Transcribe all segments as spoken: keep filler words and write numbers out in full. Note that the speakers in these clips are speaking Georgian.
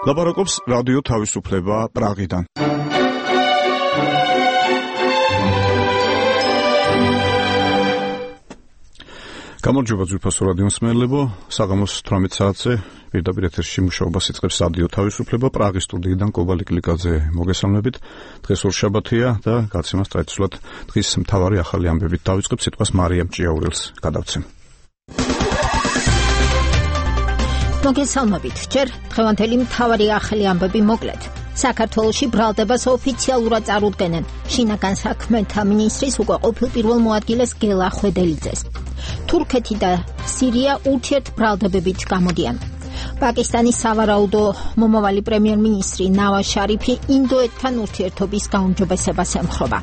ლაპარაკობს რადიო თავისუფლება პრაღიდან. გამარჯობა ძვირფასო რადიო მსმენელებო, საღამოს თვრამეტ საათზე პირდაპირ ეთერში მუშაობას იწყებს რადიო თავისუფლება პრაღის სტუდიიდან კობალი კლიკაძე მოგესალმებით. დღეს ორშაბათია და გაცემას ტრადიციულად დღის მთავარი ახალი ამბებით დავიწყებ. სიტყვას მარიამ ჭიაურელს გადავცემ. მოგესალმებით. ჯერ დღევანდელი მთავარი ახალი ამბები მოკლედ. საქართველოში ბრალდებას ოფიციალურად წარუდგენენ შინაგან საქმეთა მინისტრის უკვე ყოფილ პირველ მოადგილეს გელა ხვედელიძეს. თურქეთი და სირია ურთიერთბრალდებებით გამოდიან. პაკისტანის სავარაუდო მომავალი პრემიერ-მინისტრი ნავაზ შარიფი ინდოეთთან ურთიერთობის გაუმჯობესებას ემხრობა.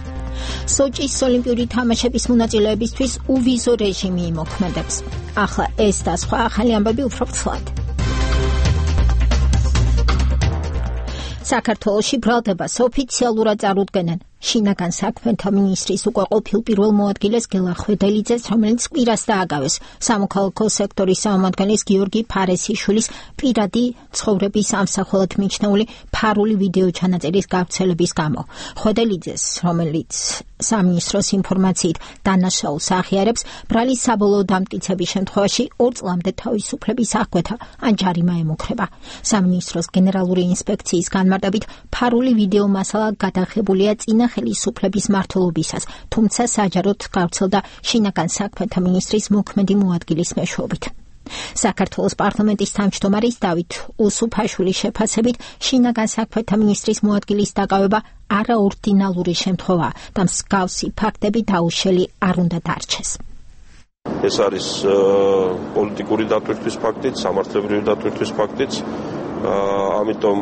სოჭის ოლიმპიური თამაშების მონაწილეებისთვის უვიზო რეჟიმი იმოქმედებს. ახლა ეს და სხვა ახალი ამბები უფრო ფრთხილად. საქართველოში ბრალდებას ოფიციალურად წარუდგენენ შინაგან საქმეთა მინისტრის უკვე ყოფილ პირველ მოადგილეს გელა ხვედელიძეს, რომელიც კვირას დააგავეს სამოქალაქო სექტორის წარმომადგენლის გიორგი ფარესიშვილის პირადი ცხოვრების ამსახველად მიჩნეული ფარული ვიდეო ჩანაწერის გავრცელების გამო. ხვედელიძეს, რომელიც სამინისტროს ინფორმაციით დანაშაულს აღიარებს, ბრალის საბოლოო დამტკიცების შემთხვევაში ორ წლამდე თავისუფლების აღკვეთა ან ჯარიმა ემუქრება. სამინისტროს გენერალური ინსპექციის განმარტებით ფარული ვიდეო მასალა გადაღებულია წინა ხელისუფლების მმართველობისას, თუმცა საჯაროდ გავრცელდა შინაგან საქმეთა მინისტრის მოქმედი მოადგილის მეშვეობით. საქართველოს პარლამენტის თავმჯდომარის დავით უსუფაშვილის შეფასებით შინაგან საქმეთა მინისტრის მოადგილის დაკავება არაორდინალური შემთხვევაა და მსგავსი ფაქტები დაუშელი არ უნდა დარჩეს. ეს არის პოლიტიკური დატვირთვის ფაქტიც, სამართლებრივი დატვირთვის ფაქტიც, ამიტომ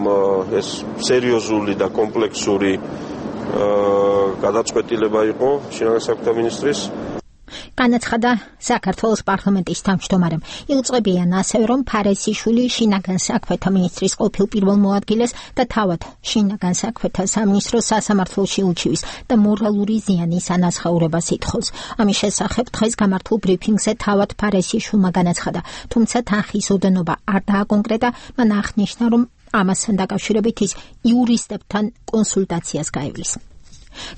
ეს სერიოზული და კომპლექსური გადაწყვეტილება იყო შინაგან საქმეთა მინისტრის. განაცხადა საქართველოს პარლამენტის თავმჯდომარემ. იუწყებიან ასევე, რომ ფარესიშვილი შინაგან საქმეთა მინისტრის ყოფილ პირველ მოადგილეს და თავად შინაგან საქმეთა სამინისტროს სასამართლოში უჩივის და მორალური ზიანის ანაზღაურებას ითხოვს. ამის შესახებ დღეს გამართულ ბრიფინგზე თავად ფარესიშვილმა განაცხადა, თუმცა თანხის ოდენობა არ დააკონკრეტა. მან აღნიშნა, რომ ამასთან დაკავშირებით ის იურისტებთან კონსულტაციას გაივლის.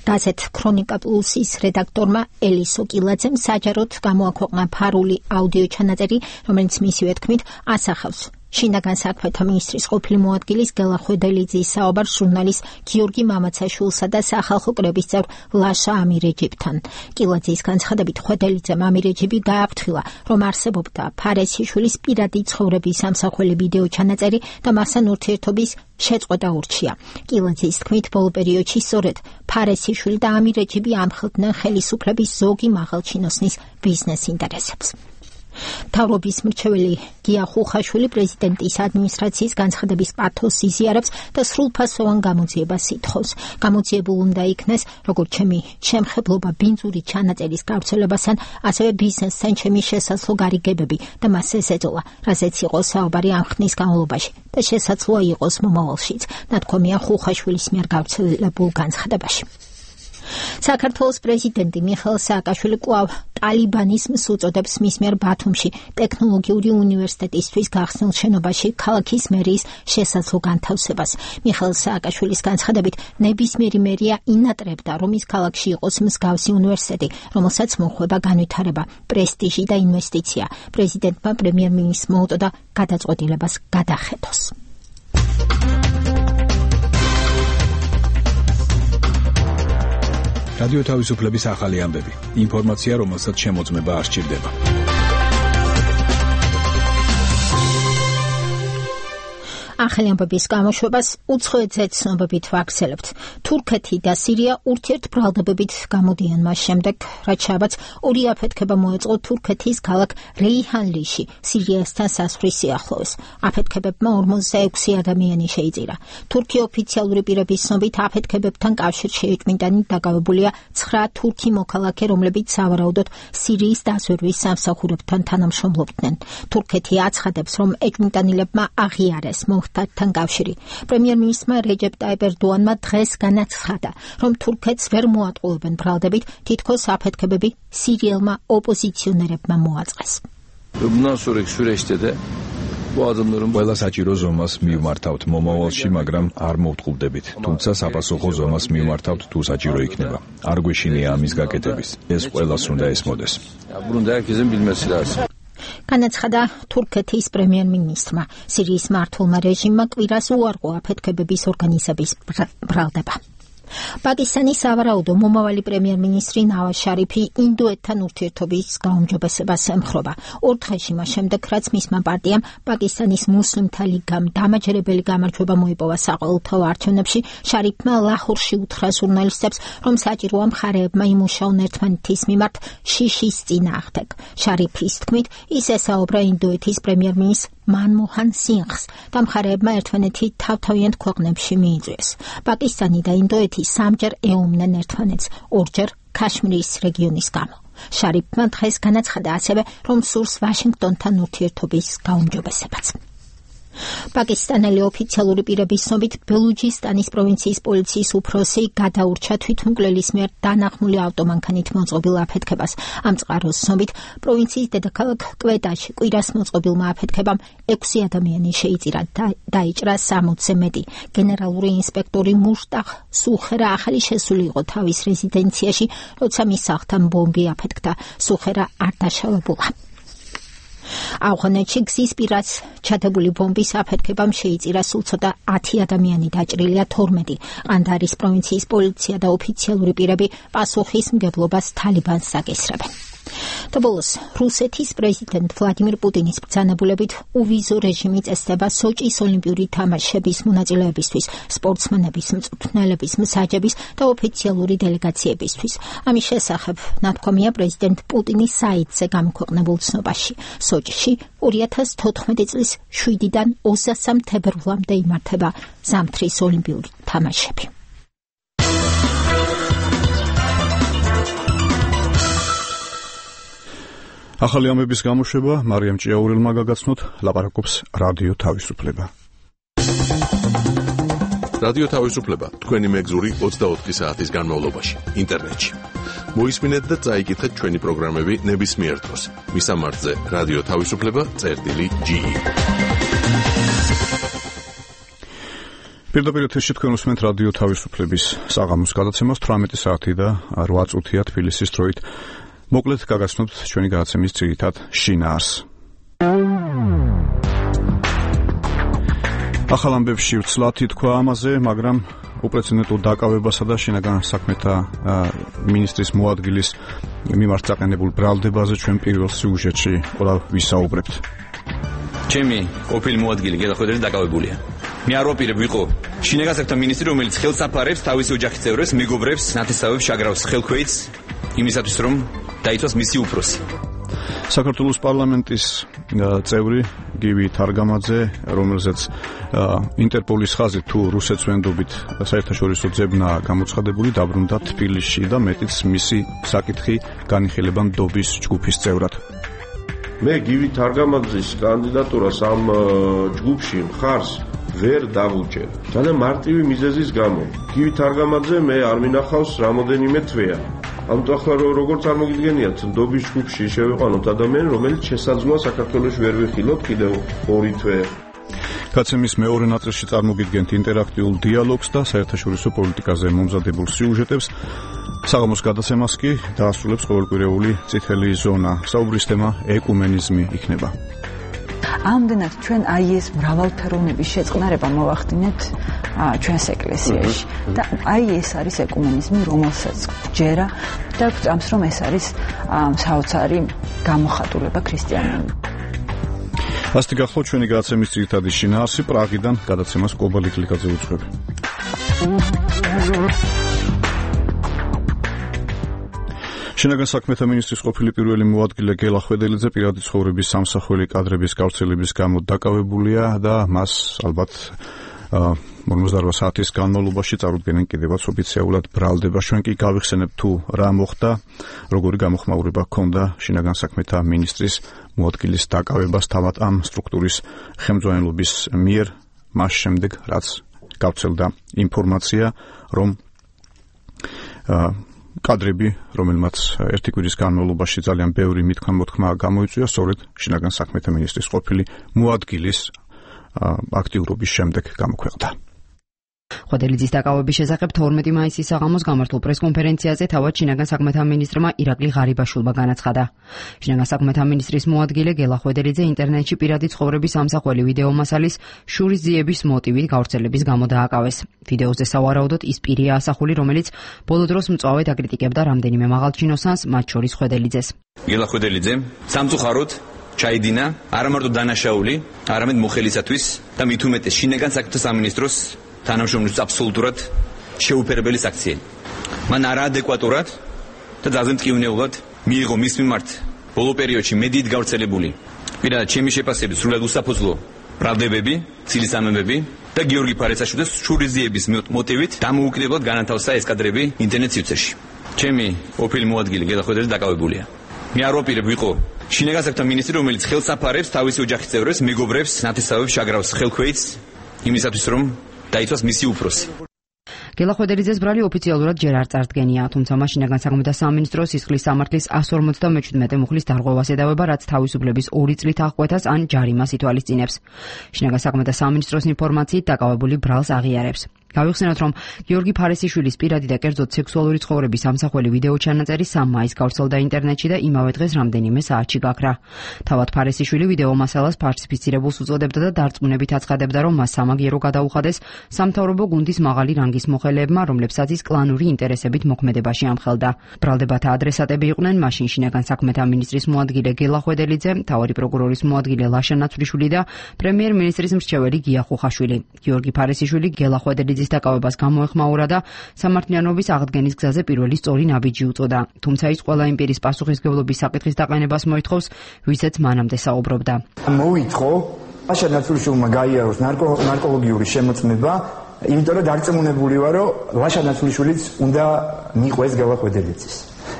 გაზეთ ქრონიკა პლუსის რედაქტორმა ელისო კილაძემ საჯაროდ გამოაქვეყნა ფარული აუდიო ჩანაწერი, რომელიც მისივე თქმით ასახავს შინაგან საქმეთა მინისტრის ყოფილი მოადგილის გელა ხვედელიძის საუბარს ჟურნალის გიორგი მამაცაშვილსა და სახალხო კრების წევრ ლაშა ამირეჯიბთან. კილაძის განცხადებით ხვედელიძემ ამირეჯიბი გააფრთხილა, რომ არსებობდა ფარესიშვილის პირადი ცხოვრების ამსახველი ვიდეო ჩანაწერი და მასთან ურთიერთობის შეწყვეტა ურჩია. კილაძის თქმით, ბოლო პერიოდში სწორედ ფარესიშვილი და ამირეჯიბი ამხელდნენ ხელისუფლების ზოგი მაღალჩინოსნის ბიზნეს ინტერესებს. მთავრობის მრჩეველი გია ხუხაშვილი პრეზიდენტის ადმინისტრაციის განცხადების პათოსს იზიარებს და სრულფასოვან გამოძიებას ითხოვს. გამოძიებულ უნდა იქნეს როგორც ჩემი შემხებლობა ბინძური ჩანაწერის გავრცელებასთან, ასევე ბიზნესთან ჩემი შესაძლო გარიგებები და მას ეს ეწოლა, რაზეც იყო საუბარი ამ ხნის განმავლობაში და შესაძლოა იყოს მომავალშიც, ნათქვამია ხუხაშვილის მიერ გავრცელებულ განცხადებაში. საქართველოს პრეზიდენტი მიხეილ სააკაშვილი კვლავ ტალიბანიზმს უწოდებს მის მიერ ბათუმში ტექნოლოგიური უნივერსიტეტისთვის გახსნილ შენობაში ქალაქის მერიის შესაძლო განთავსებას. მიხეილ სააკაშვილის განცხადებით, ნებისმიერი მერია ინატრებდა, რომ ის ქალაქში იყოს მსგავსი უნივერსიტეტი, რომელსაც მოხვება განვითარება, პრესტიჟი და ინვესტიცია. პრეზიდენტმა პრემიერ-მინისტრს მოუწოდა გადაწყვეტილებას გადახედოს. რადიო თავისუფლების ახალი ამბები. ინფორმაცია, რომელსაც შემოწმება არ სჭირდება. ახალი ამბების გამოშვებას უცხოეთზე ცნობებით ვაგრძელებთ. თურქეთი და სირია ურთიერთბრალდებებით გამოდიან მას შემდეგ, რაც შაბათს ორი აფეთქება მოეწყო თურქეთის ქალაქ რეიჰანლიში, სირიასთან საზღვრის სიახლოვეს. აფეთქებებმა ორმოცდა ექვსი ადამიანი შეიწირა. თურქი ოფიციალური პირების ცნობით აფეთქებებთან კავშირში ეჭვმიტანი დაკავებულია ცხრა თურქი მოქალაქე, რომლებიც სავარაუდოდ სირიის დაზვერვის სამსახურებთან თანამშრომლობდნენ. თურქეთი აცხადებს, რომ ეჭვმიტანილებმა აღიარეს მოხდართან კავშირი. პრემიერ-მინისტრმა რეჯეპ ტაიპ ერდოანმა დღეს განაცხადა, რომ თურქეთს ვერ მოატყუებენ ბრალდებით, თითქოს აფეთქებები სირიელმა ოპოზიციონერებმა მოაწყეს. Bundan sonraki süreçte de ყველა საჭირო ზომას მივმართავთ მომავალში, მაგრამ არ მოვტყუბრდებით. თუმცა საპასუხო ზომას მივმართავთ თუ საჭირო იქნება. არ გვეშინია ამის გაკეთების. ეს ყველას უნდა ესმოდეს. განაცხადა თურქეთის პრემიერ-მინისტრმა. სირიის მმართველმა რეჟიმმა კვირას უარყო აფეთქებების ორგანიზების ბრალდება. პაკისტანის სავარაუდო მომავალი პრემიერ-მინისტრი ნავაზ შარიფი ინდოეთთან ურთიერთობის გაუმჯობესებას ემხრობა. ორ დღეში მას შემდეგ, რაც მისმა პარტიამ პაკისტანის მუსლიმთა ლიგამ დამაჯერებელი გამარჯვება მოიპოვა საყოველთაო არჩევნებში, შარიფმა ლაჰორში უთხრა ჟურნალისტებს, რომ საჭიროა მხარეებმა იმუშაონ ერთმანეთის მიმართ შიშის წინააღმდეგ. შარიფის თქმით, ის ესაუბრა ინდოეთის პრემიერ-მინისტრ მანმოჰან სინღს და მხარეებმა ერთმანეთი თავთავიანთ ქვეყნებში მიიწვიეს. პაკისტანი და ინდოეთი სამჯერ ეომნენ ერთმანეთს, ორჯერ ქაშმირის რეგიონის გამო. შარიფმა დღეს განაცხადა ასევე, რომ სურს ვაშინგტონთან ურთიერთობის გაუმჯობესებაც. პაკისტანელი ოფიციალური პირების ცნობით, ბელუჯისტანის პროვინციის პოლიციის უფროსი გადაურჩა თვითმკვლელის მიერ დანახმული ავტომანქანით მოწყობილ აფეთქებას. ამ წყაროს ცნობით, პროვინციის დედაქალაქ კვეტაში კვირას მოწყობილმა აფეთქებამ ექვსი ადამიანი შეიწირა და დაიჭრა სამოცზე მეტი. გენერალური ინსპექტორი მუშტახ სუხერა ახალი შესული იყო თავის რეზიდენციაში, როცა მის სახლთან ბომბი აფეთქდა. სუხერა არ დაშავებულა. ავღანეთში გზის პირას ჩადებული ბომბის აფეთქებამ შეიწირა სულ ცოტა ათი ადამიანი, დაჭრილია თორმეტი. ყანდარის პროვინციის პოლიცია და ოფიციალური პირები პასუხისმგებლობას თალიბანს აკისრებენ. და ბოლოს, რუსეთის პრეზიდენტ ვლადიმირ პუტინის ბრძანებულებით უვიზო რეჟიმი წესდება სოჭის ოლიმპიური თამაშების მონაწილეებისთვის, სპორტსმენების, მწვრთნელების, მსაჯების და ოფიციალური დელეგაციებისთვის. ამის შესახებ ნათქვამია პრეზიდენტ პუტინის საიტზე გამოქვეყნებულ ცნობაში. სოჭში ორი ათას თოთხმეტი წლის შვიდიდან ოცდასამ თებერვლამდე იმართება ზამთრის ოლიმპიური თამაშები. ახალი ამების გამოშვება მარიამ ჭიაურელმა გაგაცნოთ, ლაპარაკობს რადიო თავისუფლება. რადიო თავისუფლება თქვენი მეგზური ოცდაოთხი საათის განმავლობაში ინტერნეტში. მოისმინეთ და წაიკითხეთ ჩვენი პროგრამები ნებისმიერ დროს. მისამართზე რადიო თავისუფლება წერტილი ჯი. პირდაპირ ეთერში თქვენ უსმენთ რადიო თავისუფლების საღამოს გადაცემას თვრამეტი საათი და რვა წუთია თბილისის დროით. მოკლედ გაგაცნობთ ჩვენი გადაცემის ძირითად შინაარს. ახალ ამბებში ვცლად ითქვა ამაზე, მაგრამ უპრეცედენტო დაკავებასა და შინაგან საქმეთა მინისტრის მოადგილის მიმართ წაყენებულ ბრალდებაზე ჩვენ პირველ სიუჟეტში ყველა ვისაუბრებთ. ჩემი ყოფილი მოადგილი გელახვედრელი დაკავებულია. მე არ ვაპირებ ვიყო შინაგან საქმეთა მინისტრი, რომელიც ხელს აფარებს თავისი ოჯახის წევრებს, მეგობრებს, ნათესავებს, შაგრავს ხელქვეითს იმისათვის, რომ დაიცვას მისი უფროსი. საქართველოს პარლამენტის წევრი გივი თარგამაძე, რომელზეც ინტერპოლის ხაზით თუ რუსეთს ვენდობით საერთაშორისო ძებნა გამოცხადებული, დაბრუნდა თბილისში და მეტიც მისი საკითხი განიხილება ნდობის ჯგუფის წევრად. მე გივი თარგამაძის კანდიდატურას ამ ჯგუფში მხარს ვერ დავუჭერ. და მარტივი მიზეზის გამო. გივი თარგამაძე მე არ მინახავს რამოდენიმე თვეა. ამიტომ ახლა როგორ წარმოგიდგენიათ, ნდობის ჯგუფში შევიყვანოთ ადამიანი, რომელიც შესაძლოა საქართველოს ვერ ვიხილოთ კიდევ ორი თვე. გადაცემის მეორე ნაწილში წარმოგიდგენთ ინტერაქტიულ დიალოგს და საერთაშორისო პოლიტიკაზე მომზადებულ სიუჟეტებს. საღამოს გადაცემას კი დაასრულებს ყოველკვირეული წითელი ზონა. საუბრის თემა ეკუმენიზმი იქნება. ამდენად ჩვენ აი ეს მრავალფეროვნების შეწყნარება მოვახდინეთ ჩვენს ეკლესიაში და აი ეს არის ეკუმენიზმი, რომელსაც ჯერა და გვწამს, რომ ეს არის საოცარი გამოხატულება ქრისტიანული. ასეთი გახლავთ ჩვენი გადაცემის ძირითადი შინაარსი. პრაღიდან გადაცემას კობალი კლიკაძე უძღვები. შინაგან საქმეთა მინისტრის ყოფილი პირველი მოადგილე გელა ხვედელიძე პირადი ცხოვრების სამსახველი კადრების გავრცელების გამო დაკავებულია და მას ალბათ ორმოცდაოთხ საათის განმავლობაში წარუდგენენ კიდევაც ოფიციალურად ბრალდება. ჩვენ კი გავიხსენებთ თუ რა მოხდა, როგორი გამოხმაურება ჰქონდა შინაგან საქმეთა მინისტრის მოადგილის დაკავებას თავად ამ სტრუქტურის ხელმძღვანელობის მიერ, მას შემდეგ რაც გავრცელდა ინფორმაცია, რომ კადრები, რომელმაც ერთი კვირის განმავლობაში ძალიან ბევრი მითქმა-მოთქმა გამოიწვია, სწორედ შინაგან საქმეთა მინისტრის ყოფილი მოადგილის აქტიურობის შემდეგ გამოქვეყნდა. ხვედელიძის დაკავების შესახებ თორმეტი მაისის საღამოს გამართულ პრესკონფერენციაზე თავად შინაგან საქმეთა მინისტრმა ირაკლი ღარიბაშვილმა განაცხადა. შინაგან საქმეთა მინისტრის მოადგილე გელა ხვედელიძე ინტერნეტში პირადი ცხოვრების ამსახველი ვიდეო მასალის შურის ძიების მოტივით გავრცელების გამო დააკავეს. ვიდეოზე სავარაუდოდ ის პირია ასახული, რომელიც ბოლო დროს მწვავედ აკრიტიკებდა რამდენიმე მაღალჩინოსანს, მათ შორის ხვედელიძეს. გელა ხვედელიძე სამწუხაროდ ჩაიდინა არა მარტო დანაშაული, არამედ მოხელისათვის და მით უმეტეს შინაგან საქმეთა სამინისტროს თანამშრომლობის აბსოლუტურად შეუფერებელი საქციელი. მან არაადეკვატურად და ძალზე მტკივნეულად მიიღო მის მიმართ ბოლო პერიოდში მედიით გავრცელებული პირადად ჩემი შეფასებით სრულად უსაფუძვლო ბრალდებები, ცილისამებები და გიორგი ფარესაშვილის შურიზიების მოტივით დამოუკიდებლად განათავსა ეს კადრები ინტერნეტ სივრცეში. ჩემი ყოფილი მოადგილე გელა ხვედელიძე დაკავებულია. მე არ ვაპირებ ვიყო შინაგან საქმეთა მინისტრი, რომელიც ხელს აფარებს თავისი ოჯახის წევრებს, მეგობრებს, ნათესავებს შაგრავს ხელქვეითს იმისათვის, რომ დაიცვას მისი უფროსი. გელა ხვედელიძეს ბრალი ოფიციალურად ჯერ არ წარდგენია, თუმცა მას შინაგან საქმეთა სამინისტროს სისხლის სამართლის εκατს ორმოცდამეჩვიდმეტე მუხლის დარღვევას ედავება, რაც თავისუფლების ორი წლით აღკვეთას ან ჯარიმას ითვალისწინებს. შინაგან საქმეთა სამინისტროს ინფორმაციით დაკავებული ბრალს აღიარებს. გავიხსენოთ, რომ გიორგი ფარესიშვილის პირადი და კერძოდ სექსუალური ცხოვრების ამსახველი ვიდეო ჩანაწერი სამ მაისს გავრცელდა ინტერნეტში და იმავე დღეს რამდენიმე საათში გაქრა. თავად ფარესიშვილი ვიდეო მასალას ფალსიფიცირებულს უწოდებდა და დარწმუნებით აცხადებდა, რომ მას სამაგიერო გადაუხადეს სამთავრობო გუნდის მაღალი რანგის მოხელეებმა, რომლებსაც ის კლანური ინტერესებით მოქმედებაში ამხელდა. ბრალდებათა ადრესატები იყვნენ მაშინ შინაგან საქმეთა მინისტრის მოადგილე გელა ხვედელიძე, მთავარი პროკურორის მოადგილე ლაშა ნაცვლიშვილი და პრემიერ-მინისტრის მრჩეველი გია ხუხაშვილი. გიორგი ფარესიშვილი გელა ხვედელიძის დაკავებას გამოეხმაურა და სამართლიანობის აღდგენის გზაზე პირველი სწორი ნაბიჯი უწოდა. თუმცა ის ყველა იმ პირის პასუხისმგებლობის საკითხის დაყენებას მოითხოვს, ვისაც მანამდე საუბრობდა. მოითხოვ ლაშა ნაცვლიშვილმა გაიაროს ნარკოლოგიური შემოწმება, იმიტომ რომ დარწმუნებული ვარ, რომ ლაშა ნაცვლიშვილიც უნდა მიყვეს გელა ხვედელიძეს.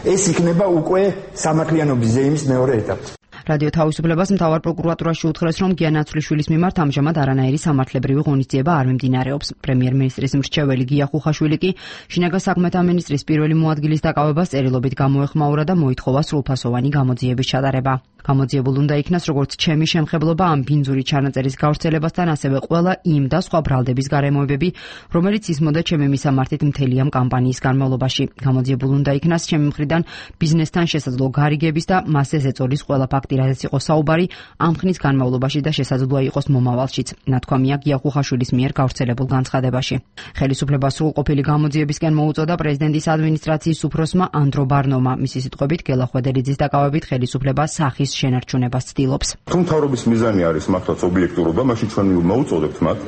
ეს იქნება უკვე სამართლიანობის ზეიმის მეორე ეტაპი. რადიო თავისუფლებას მთავარ პროკურატურაში უთხრეს, რომ გია ნაცვლიშვილის მიმართ ამჟამად არანაირი სამართლებრივი ღონისძიება არ მიმდინარეობს. პრემიერ-მინისტრის მრჩეველი გია ხუხაშვილი კი შინაგან საქმეთა მინისტრის პირველი მოადგილის დაკავებას წერილობით გამოეხმაურა და მოითხოვა სრულფასოვანი გამოძიების ჩატარება. გამოძიებულ უნდა იქნას როგორც ჩემი შემხებლობა ამ ბინძური ჩანაწერის გავრცელებასთან, ასევე ყველა იმ და სხვა ბრალდების გარემოებები, რომელიც ისმოდა ჩემი მისამართით მთელი ამ კამპანიის განმავლობაში. გამოძიებულ უნდა იქნას ჩემი მხრიდან ბიზნესთან შესაძლო გარიგების და მასზე ზეწოლის ყველა ფაქტი, რაზეც იყო საუბარი ამ ხნის განმავლობაში და შესაძლოა იყოს მომავალშიც, ნათქვამია გია ხუხაშვილის მიერ გავრცელებულ განცხადებაში. ხელისუფლება სრულყოფილი გამოძიებისკენ მოუწოდა პრეზიდენტის ადმინისტრაციის უფროსმა ანდრო ბარნომა. მისი სიტყვებით გელა ხვედელიძის დაკავებით ხელისუფლება სახის შენარჩუნებას ცდილობს. თუ მთავრობის მიზანი არის მართლაც ობიექტურობა, მაშინ ჩვენ მოუწოდებთ მათ,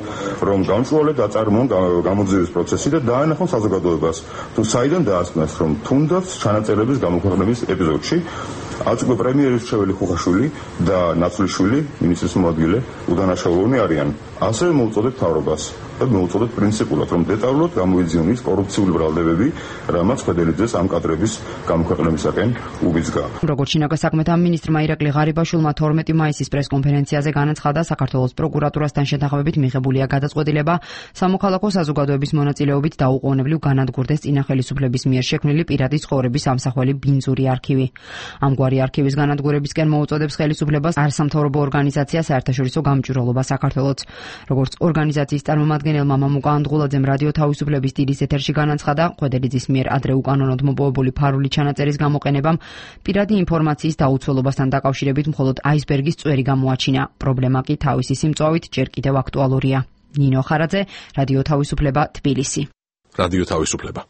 რომ გამწვავლად აწარმოონ გამოძიების პროცესი და დაანახონ საზოგადოებას, თუ საიდან დაასკვნეს, რომ თუნდაც ჩანაწერების გამოქვეყნების ეპიზოდში आज को प्रेमियर मरჩეველი ხუხაშვილი და ნაცვლიშვილი მინისტრის მოადგილე უდანაშაულოვანი არიან. ასევე მოუწოდეთ თავრობას და მოუწოდეთ პრინციპულად, რომ დეტალურად გამოიძიოს კორუფციული ბრალდებები, რამაც ხვედელიძეს ამ კადრების გამოქვეყნებისაკენ უბიძგა. როგორც შინაგან საქმეთა მინისტრმა ირაკლი ღარიბაშვილმა თორმეტი მაისის პრესკონფერენციაზე განაცხადა, საქართველოს პროკურატურასთან შეთანხმებით მიღებულია გადაწყვეტილება სამოქალაქო საზოგადოების მონაწილეობით დაუყოვნებლივ განადგურდეს წინა ხელისუფლების მიერ შექმნილი პირადი ცხოვრების ამსახველი ბინძური არქივი. ამგვარი არქივის განადგურებისკენ მოუწოდებს ხელისუფლებას არასამთავრობო ორგანიზაცია საერთაშორისო გამჭვირვალობა საქართველოს. როგორც ორგანიზაციის წარმომადგენელმა მამუკა ანდღულაძემ რადიო თავისუფლების დილის ეთერში განაცხადა, ხვედელიძის მიერ ადრე უკანონოდ მოპოვებული ფარული ჩანაწერის გამოყენებამ პირადი ინფორმაციის დაუცველობასთან დაკავშირებით მხოლოდ აისბერგის წვერი გამოაჩინა. პრობლემა კი თავისი სიმწვავით ჯერ კიდევ აქტუალურია. ნინო ხარაძე, რადიო თავისუფლება, თბილისი. რადიო თავისუფლება.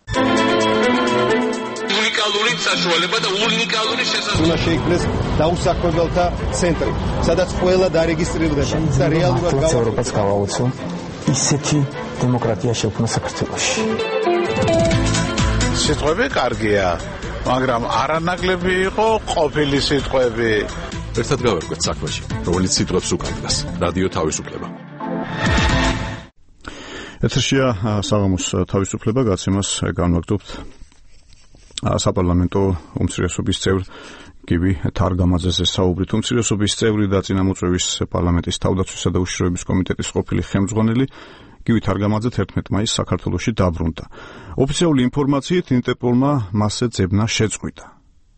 უნიკალური საშუალება და უნიკალური შესაძლებლობა. უნდა შეიქმნეს დაუსაქმებელთა ცენტრი, სადაც ყველა დარეგისტრირდება და რეალურად ევროპას გავაუწო ისეთი დემოკრატია შექმნა საქართველოში. სიტყვები კარგია, მაგრამ არანაკლები იყო ყოფილი სიტყვები. ერთად გავერკვეთ საქმეში, რომელიც სიტყვებს უკარგავს. რადიო თავისუფლება. ეთერშია საღამოს თავისუფლება, გაცემას განვაგრძობთ საპარლამენტო უმცირესობის წევრ გივი თარგამაძეზე საუბრით. უმცირესობის წევრი და წინამოწვევის პარლამენტის თავდაცვისა და უშიშროების კომიტეტის ყოფილი ხელმძღვანელი გივი თარგამაძე თერთმეტ მაისს საქართველოში დაბრუნდა. ოფიციალური ინფორმაციით ინტერპოლმა მასზე ძებნა შეწყვიტა.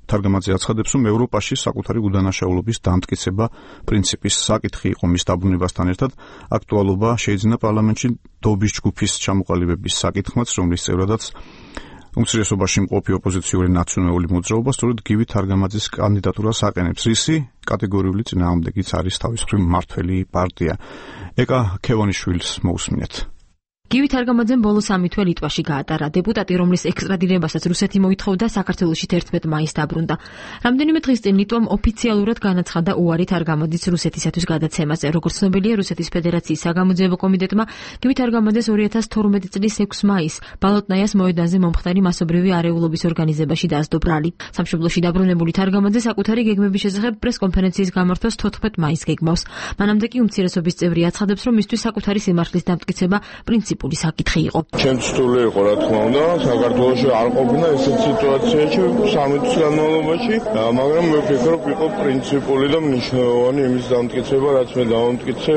თარგამაძე აცხადებს, რომ ევროპაში საკუთარი უდანაშაულობის დამტკიცება პრინციპის საკითხი იყო მის დაბრუნებასთან ერთად აქტუალობა შეიძინა პარლამენტში დობის ჯგუფის ჩამოყალიბების საკითხმაც, რომლის წევრადაც უმცირესობაში მყოფი ოპოზიციური ნაციონალური მოძრაობა სწორედ გივი თარგამაძის კანდიდატურას აყენებს, რისი კატეგორიული წინააღმდეგიც არის თავის მხრივ მმართველი პარტია. ეკა ქევანიშვილს მოусმინეთ. გივი თარგამაძემ ბოლო სამი თვე ლიტვაში გაატარა. დეპუტატი, რომლის ექსტრადირებასაც რუსეთი მოითხოვდა, საქართველოში თერთმეტ მაისს დაბრუნდა. რამდენიმე დღის წინ ლიტვამ ოფიციალურად განაცხადა უარი თარგამაძის რუსეთისათვის გადაცემაზე. როგორც ცნობილია, რუსეთის ფედერაციის საგამოძიებო კომიტეტმა გივი თარგამაძეს ორი ათას თორმეტი წლის ექვსი მაისს ბალოტნაიას მოედანზე მომხდარი მასობრივი არეულობის ორგანიზებაში დასდო ბრალი. სამშობლოში დაბრუნებული თარგამაძე საკუთარი გეგმების შესახებ პრესკონფერენციის გამართვას თოთხმეტ მაისს გეგმავს. მანამდე კი უმცირესობის წევრი აცხადებს, რომ მისთვის საკუთარი სიმართლის დამტკიცება პრინციპი საკითხი იყო. ჩემს რთული იყო, რა თქმა უნდა, საქართველოში არ ყოფნა ესეთ სიტუაციაში სამი თვის განმავლობაში, მაგრამ მე ვფიქრობ, იყო პრინციპული და მნიშვნელოვანი იმის დამტკიცება, რაც მე დავამტკიცე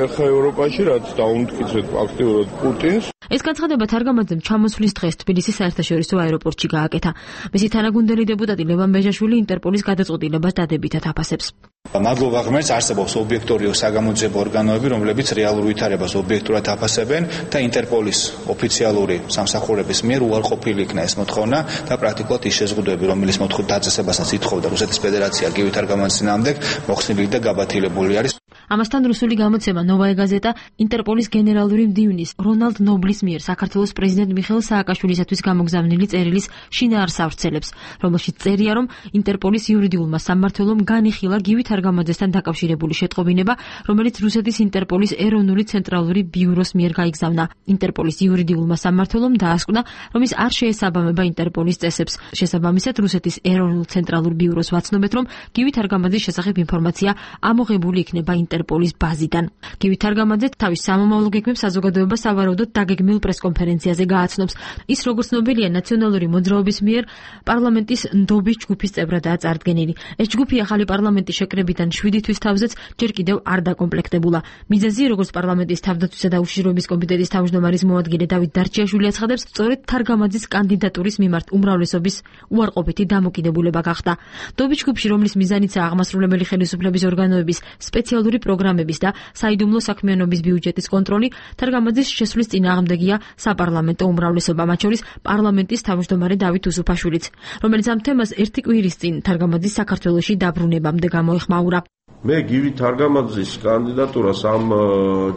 ეხა ევროპაში, რაც დავამტკიცეთ აქტიურად პუტინს. ეს განცხადება თარგამაძემ ჩამოსვლის დღეს თბილისის საერთაშორისო აეროპორტში გააკეთა. მისი თანაგუნდელი დეპუტატი ლევან ბეჟაშვილი ინტერპოლის გადაწყვეტილებას დადებითად აფასებს. მადლობა ღმერთს, არსებობს ობიექტური საგამოძიებო ორგანოები, რომლებიც რეალურ ვითარებას ობიექტურად აფასებენ და ინტერპოლის ოფიციალური სამსახურების მიერ უარყოფილი იქნა ეს მოთხოვნა და პრაქტიკულად ის შეზღუდვები, რომელიც მოთხოვ დაწესებასაც ითხოვდა რუსეთის ფედერაცია გივი თარგამაძის წინააღმდეგ, მოხსნილი და გაბათილებული არის. ამასთან რუსული გამოცემა ნოვაია გაზეტა ინტერპოლის გენერალური მდივნის რონალდ ნობლის მიერ საქართველოს პრეზიდენტ მიხეილ სააკაშვილისათვის გამოგზავნილი წერილის შინაარსს ავრცელებს, რომელშიც წერია, რომ ინტერპოლის იურიდიულმა სამმართველომ განიხილა გივი თარგამაძესთან დაკავშირებული შეტყობინება, რომელიც რუსეთის ინტერპოლის ეროვნული ცენტრალური ბიუროს მიერ გაიგზავნა. ინტერპოლის იურიდიულმა სამმართველომ დაასკვნა, რომ ის არ შეესაბამება ინტერპოლის წესებს. შესაბამისად, რუსეთის ეროვნულ ცენტრალურ ბიუროს ვაცნობთ, რომ გივი თარგამაძის შესახებ ინფორმაცია ამოღებული იქნება ინტერპოლის ბაზიდან. გივი თარგამაძე თავის სამომავლო გეგმებს საზოგადოებას სავარაუდოდ დაგეგმილ პრესკონფერენციაზე გააცნობს. ის, როგორც ცნობილია, ნაციონალური მოძრაობის მიერ პარლამენტის ნდობის ჯგუფის წევრადაა წარდგენილი. ეს ჯგუფი ახალი პარლამენტის შეკრებიდან შვიდი თვის თავზეც ჯერ კიდევ არ დაკომპლექტებულა. მიზეზი, როგორც პარლამენტის თავდაცვისა და უშიშროების კომიტეტის თავმჯდომარის მოადგილე დავით დარჩიაშვილი აცხადებს, სწორედ თარგამაძის კანდიდატურის მიმართ უმრავლესობის უარყოფითი დამოკიდებულება გახდა. ნდობის ჯგუფში, რომლის მიზანიცაა აღმასრულებელი ხელისუფლების ორგანოების სპეციალური პროგრამების და საიდუმლო საქმიანობის ბიუჯეტის კონტროლი, თარგამაძის შესვლის წინააღმდეგია საპარლამენტო უმრავლესობა, მათ შორის პარლამენტის თავმჯდომარე დავით უსუფაშვილიც, რომელიც ამ თემას ერთი კვირის წინ თარგამაძის საქართველოში დაბრუნებამდე გამოეხმაურა. მე გივი თარგამაძის კანდიდატურას ამ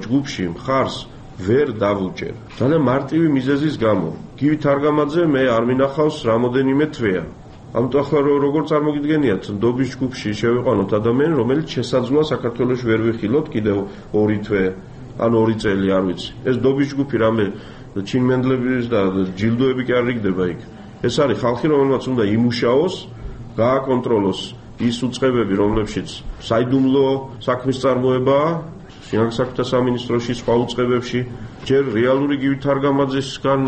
ჯგუფში მხარს ვერ დავუჭერ. ძალიან მარტივი მიზეზის გამო. გივი თარგამაძე მე არ მინახავს რამოდენიმე თვეა. ამიტომ ახლა როგორ წარმოგიდგენიათ, ნდობის ჯგუფში შევიყვანოთ ადამიანი, რომელიც შესაძლოა საქართველოში ვერ ვიხილოთ კიდევ ორი თვე, ან ორი წელი, არ ვიცი. ეს ნდობის ჯგუფი რამე ჩინმენდლების და ჯილდოები კი არ რიგდება იქ. ეს არის ხალხი, რომელმაც უნდა იმუშაოს, გააკონტროლოს ის უწყებები, რომლებშიც საიდუმლო საქმის წარმოებაა, შინაგან საქმეთა სამინისტროში, სხვა უწყებებში, ჯერ რეალური გივი თარგამაძისგან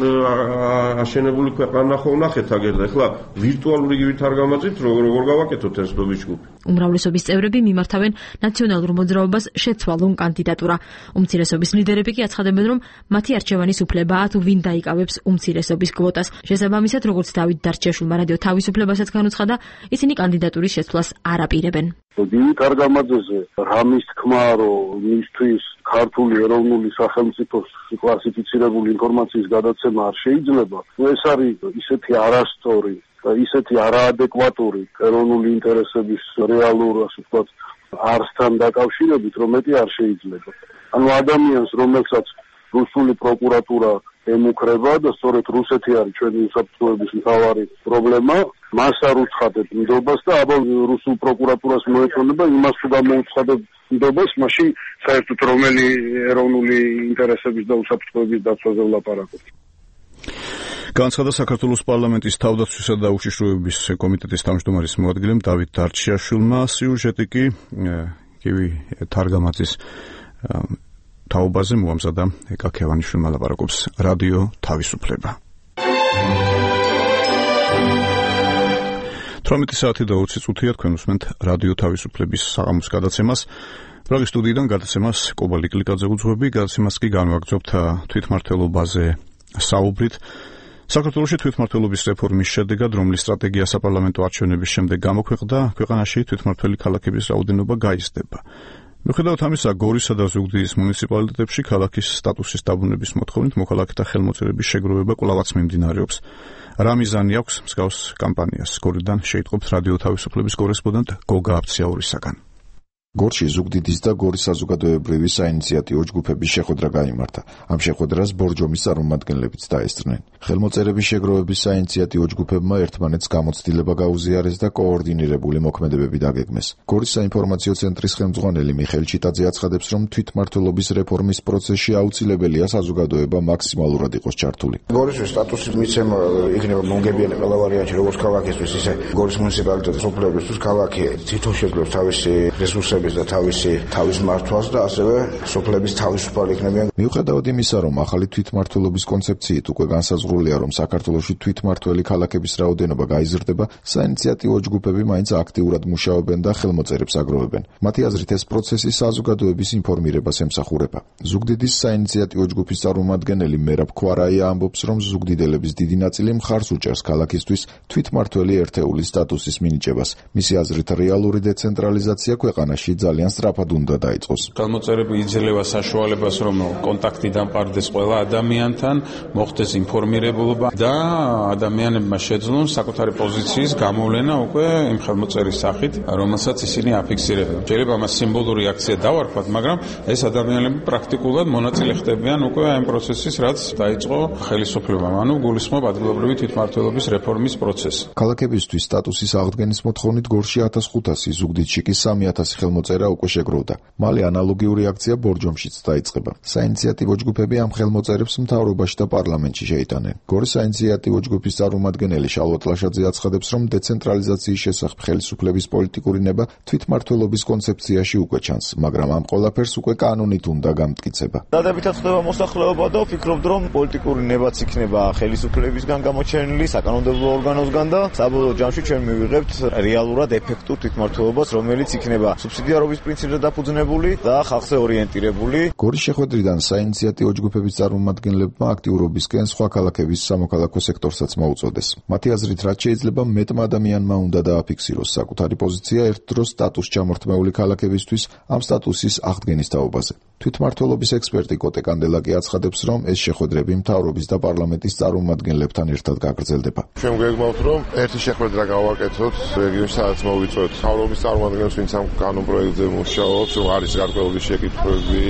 აშენებული ქვეყანა ხო ვნახეთ აგერ და ახლა ვირტუალური გივი თარგამაძით როგორ გავაკეთოთ ეს ნდობის ჯგუფი. უმრავლესობის წევრები მიმართავენ ნაციონალურ მოძრაობას შეცვალონ კანდიდატურა. უმცირესობის ლიდერები კი აცხადებენ, რომ მათი არჩევანის უფლებაა თუ ვინ დაიკავებს უმცირესობის კვოტას. შესაბამისად, როგორც დავით დარჩიაშვილმა რადიო თავისუფლებასაც განუცხადა, ისინი კანდიდატურის შეცვლას არ აპირებენ. გივი თარგამაძეზე რამის თქმა, რომ მისთვის ქართული ეროვნული სახელმწიფოს კლასიფიცირებული ინფორმაციის გადაცემა არ შეიძლება, ეს არის ისეთი არასწორი, ისეთი არაადეკვატური ეროვნული ინტერესების რეალურ, ასე ვთქვათ, არსთან დაკავშირებით, რომ მეტი არ შეიძლება. ანუ ადამიანს, რომელსაც რუსული პროკურატურა ემუქრება და სწორედ რუსეთი არის ჩვენი უსაფრთხოების მთავარი პრობლემა, მას არ უცხადებ ნდობას და აბა რუსულ პროკურატურას მოეწონება იმას თუ გამოუცხადებ ნდობას, მაშინ საერთოდ რომელი ეროვნული ინტერესების და უსაფრთხოების დაცვაზე ვლაპარაკობთ. განცხადა საქართველოს პარლამენტის თავდაცვისა და უშიშროების კომიტეტის თავმჯდომარის მოადგილემ დავით დარჩიაშვილმა. სიუჟეტი კი გივი თარგამაძის თაობაზე მოამზადა ეკა ქევანიშვილმა, ლაპარაკობს რადიო თავისუფლება. თორმეტი საათი და ოცი წუთია თქვენ უსმენთ რადიო თავისუფლების საღამოს გადაცემას. პრაღის სტუდიიდან გადაცემას კობალტ კლიკაძე უძღვები, გადაცემას კი განვაგრძობთ თვითმმართველობაზე საუბრით. საქართველოში თვითმმართველობის რეფორმის შედეგად, რომლის სტრატეგია საპარლამენტო არჩევნების შემდეგ გამოქვეყნდა, ქვეყანაში თვითმმართველი ქალაქების რაოდენობა გაიზრდება. მიუხედავად ამისა, გორისა და ზუგდიდის მუნიციპალიტეტებში ქალაქის სტატუსის დაბრუნების მოთხოვნით მოქალაქეთა ხელმოწერების შეგროვება კვლავაც მიმდინარეობს. რა მიზანი აქვს მსგავს კამპანიას? გორიდან შეიტყობთ რადიო თავისუფლების კორესპონდენტ გოგა აფციაურისაგან. გორში ზუგდიდის და გორის საზოგადოებრივი საინიციატივო ჯგუფების შეხვედრა გაიმართა. ამ შეხვედრას ბორჯომის წარმომადგენლებიც დაესწრნენ. ხელმოწერების შეგროვების საინიციატივო ჯგუფებმა ერთმანეთს გამოცდილება გაუზიარეს და კოორდინირებული მოქმედებები დაგეგმეს. გორის საინფორმაციო ცენტრის ხელმძღვანელი მიხეილ ჩიტაძე აცხადებს, რომ თვითმმართველობის რეფორმის პროცესში აუცილებელია საზოგადოება მაქსიმალურად იყოს ჩართული. გორისთვის სტატუსის მიცემა იქნება მომგებიანი ყველა ვარიანტი, როგორც ქალაქისთვის, ისე გორის მუნიციპალიტეტის სოფლებისთვის. ქალაქი თვითონ შეძლებს თავისი რესურსები და თავისი თავის მართვას და ასევე სოფლების თავისუფალი იქნებიან. მიუხედავად იმისა, რომ ახალი თვითმმართველობის კონცეფციით უკვე განსაზღვრულია, რომ საქართველოში თვითმმართველი ქალაქების რაოდენობა გაიზრდება, საინიციატივო ჯგუფები მაინც აქტიურად მუშაობენ და ხელმოწერებს აგროვებენ. მათი აზრით, ეს პროცესი საზოგადოების ინფორმირებას ემსახურება. ზუგდიდის საინიციატივო ჯგუფის წარმომადგენელი მერაბ ქვარაია ამბობს, რომ ზუგდიდელების დიდი ნაწილი მხარს უჭერს ქალაქისთვის თვითმმართველი ერთეულის სტატუსის მინიჭებას. მისი აზრით, რეალური დეცენტრალიზაცია ქვეყანაში ძალიან სწრაფად უნდა დაიწყოს. ხელმოწერები იძლევა საშუალებას, რომ კონტაქტი დამყარდეს ყველა ადამიანთან, მოხდეს ინფორმირებულობა და ადამიანებმა შეძლონ საკუთარი პოზიციის გამოვლენა უკვე იმ ხელმოწერის სახით, რომელსაც ისინი აფიქსირებენ. შეიძლება ამას სიმბოლური აქცია დავარქვათ, მაგრამ ეს ადამიანები პრაქტიკულად მონაწილე ხდებიან უკვე ამ პროცესის, რაც დაიწყო ხელისუფლებამ, ანუ გულისხმობ ადგილობრივი თვითმმართველობის რეფორმის პროცესი. ქალაქებისთვის სტატუსის აღდგენის მოთხოვნით გორში ათას ხუთასი, ზუგდიდში კი სამი ათასი ხელმოწერა უკვე შეგროვდა. მალე ანალოგიური აქცია ბორჯომშიც დაიწყება. საინიციატივო ჯგუფები ამ ხელმოწერებს მთავრობაში და პარლამენტში შეიტანენ. გორის საინიციატივო ჯგუფის წარმომადგენელი შალვა ტლაშაძე აცხადებს, რომ დეცენტრალიზაციის შესახებ ხელისუფლების პოლიტიკური ნება თვითმმართველობის კონცეფციაში უკვე ჩანს, მაგრამ ამ ყველაფერს უკვე კანონით უნდა გამტკიცება. დადებითად ხდება მოსახლეობა და ვფიქრობ, რომ პოლიტიკური ნებაც იქნება ხელისუფლებისგან გამოჩენილი, საკანონმდებლო ორგანოსგან და საბოლოო ჯამში ჩვენ მივიღებთ რეალურად ეფექტურ თვითმმართველობას, რომელიც იქნება სუბსიდიარობის პრინციპზე დაფუძნებული და ხალხზე ორიენტირებული. გორის შეხვედრიდან საინიციატივო ჯგუფების წარმომადგენლებმა აქტიურობისკენ სხვა ქალაქების სამოქალაქო სექტორსაც მოუწოდეს. მათი აზრით, რაც შეიძლება მეტმა ადამიანმა უნდა დააფიქსიროს საკუთარი პოზიცია ერთდროს სტატუს ჩამორთმეული ქალაქებისთვის ამ სტატუსის აღდგენის თაობაზე. თვითმმართველობის ექსპერტი კოტე კანდელაკი აცხადებს, რომ ეს შეხვედრები მთავრობის და პარლამენტის წარმომადგენლებთან ერთად გაგრძელდება. ჩვენ გვეგმავთ, რომ ერთი შეხვედრა გავაკეთოთ რეგიონში, სადაც მოვიწვევთ მთავრობის წარმომადგენლებს, ვინც ამ კანონ პროექტზე მუშაობს, რომ არის გარკვეული შეკითხვები,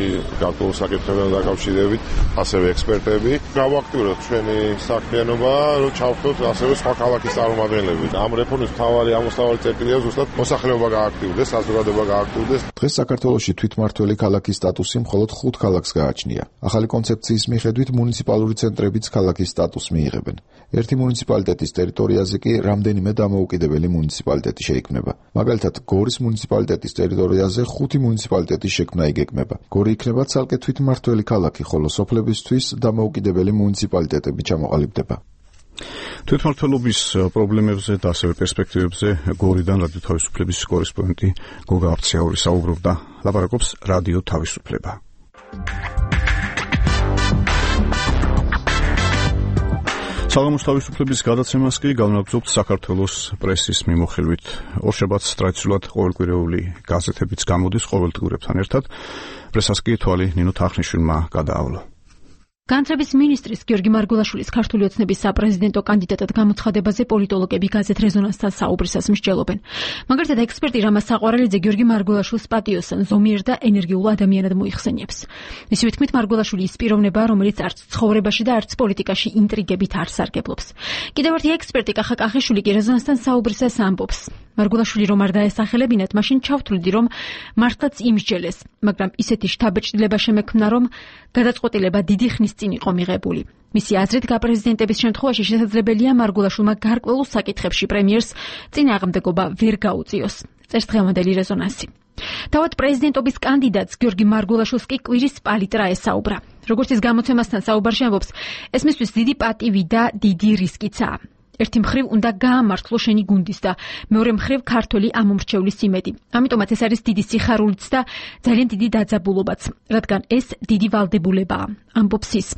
გარკვეული საკითხებთან დაკავშირებით, ასევე ექსპერტები. გავაქტიუროთ ჩვენი საქმიანობა, რომ ჩავხდოთ ასევე სხვა ქალაქის წარმომადგენლები. ამ რეფორმის მთავარი ამოსავალი წერტილია ზუსტად მოსახლეობა გააქტიურდეს, საზოგადოება გააქტიურდეს. დღეს საქართველოში თვითმმართველი ქალაქის სტატუსი მხოლოდ ხუთ ქალაქს გააჩნია. ახალი კონცეფციის მიხედვით მუნიციპალური ცენტრებიც ქალაქის სტატუსს მიიღებენ. ერთი მუნიციპალიტეტის ტერიტორიაზე კი რამდენიმე დამოუკიდებელი მუნიციპალიტეტი შეიქმნება. მაგალითად, გორის მუნიციპალიტეტის ტერიტორიაზე ხუთი მუნიციპალიტეტის შექმნა იგეგმება. გორი იქნება ცალკე თვითმმართველი ქალაქი, ხოლო სოფლებისთვის დამოუკიდებელი მუნიციპალიტეტები ჩამოყალიბდება. თვითმმართველობის პრობლემებზე და ასევე პერსპექტივებზე გორიდან რადიო თავისუფლების კორესპონდენტი გოგა აფციაური საუბრობდა. ლაპარაკობს რადიო თავისუფლება. საღამოს თავისუფლების გადაცემას კი განვაგრძობთ საქართველოს პრესის მიმოხილვით. ორშაბათს ტრადიციულად ყოველკვირეული გაზეთებიც გამოდის ყოველდღიურებთან ერთად. პრესას კი თვალი ნინო თახნიშვილმა გადაავლა. განათლების მინისტრის გიორგი მარგულაშვილის ქართული ოცნების საპრეზიდენტო კანდიდატად გამოცხადებაზე პოლიტოლოგები გაზეთ რეზონანსთან საუბრისას მსჯელობენ. მაგალითად, ექსპერტი რამაზ საყვარელიძე გიორგი მარგულაშვილს პატიოსან, ზომიერ და ენერგიულ ადამიანად მოიხსენიებს. მისი თქმით, მარგულაშვილი ის პიროვნებაა, რომელიც არც ცხოვრებაში და არც პოლიტიკაში ინტრიგებით არ სარგებლობს. კიდევ ერთი ექსპერტი კახა კახიშვილი კი რეზონანსთან საუბრისას ამბობს. მარგულაშვილი რომ არ დაესახელებინათ, მაშინ ჩავთვლიდი, რომ მართლაც იმსჯელეს, მაგრამ ისეთი შთაბეჭდილება შემექმნა, რომ გადაწყვეტილება დიდი ხნის წინ იყო მიღებული. მისი აზრით, გაპრეზიდენტების შემთხვევაში შესაძლებელია მარგულაშვილმა გარკვეულ საკითხებში პრემიერს წინააღმდეგობა ვერ გაუწიოს. წერს დღევანდელი რეზონანსი. თავად პრეზიდენტობის კანდიდატს გიორგი მარგულაშვილს კი კვირის პალიტრა ესაუბრა. როგორც ის გამოცემასთან საუბარში ამბობს, ეს მისთვის დიდი პატივი და დიდი რისკიცაა. ერთი მხრივ უნდა გაამართლო შენი გუნდის და მეორე მხრივ ქართველი ამომრჩევლის იმედი. ამიტომაც ეს არის დიდი სიხარულიც და ძალიან დიდი დაძაბულობაც, რადგან ეს დიდი ვალდებულებაა, ამბობს ის.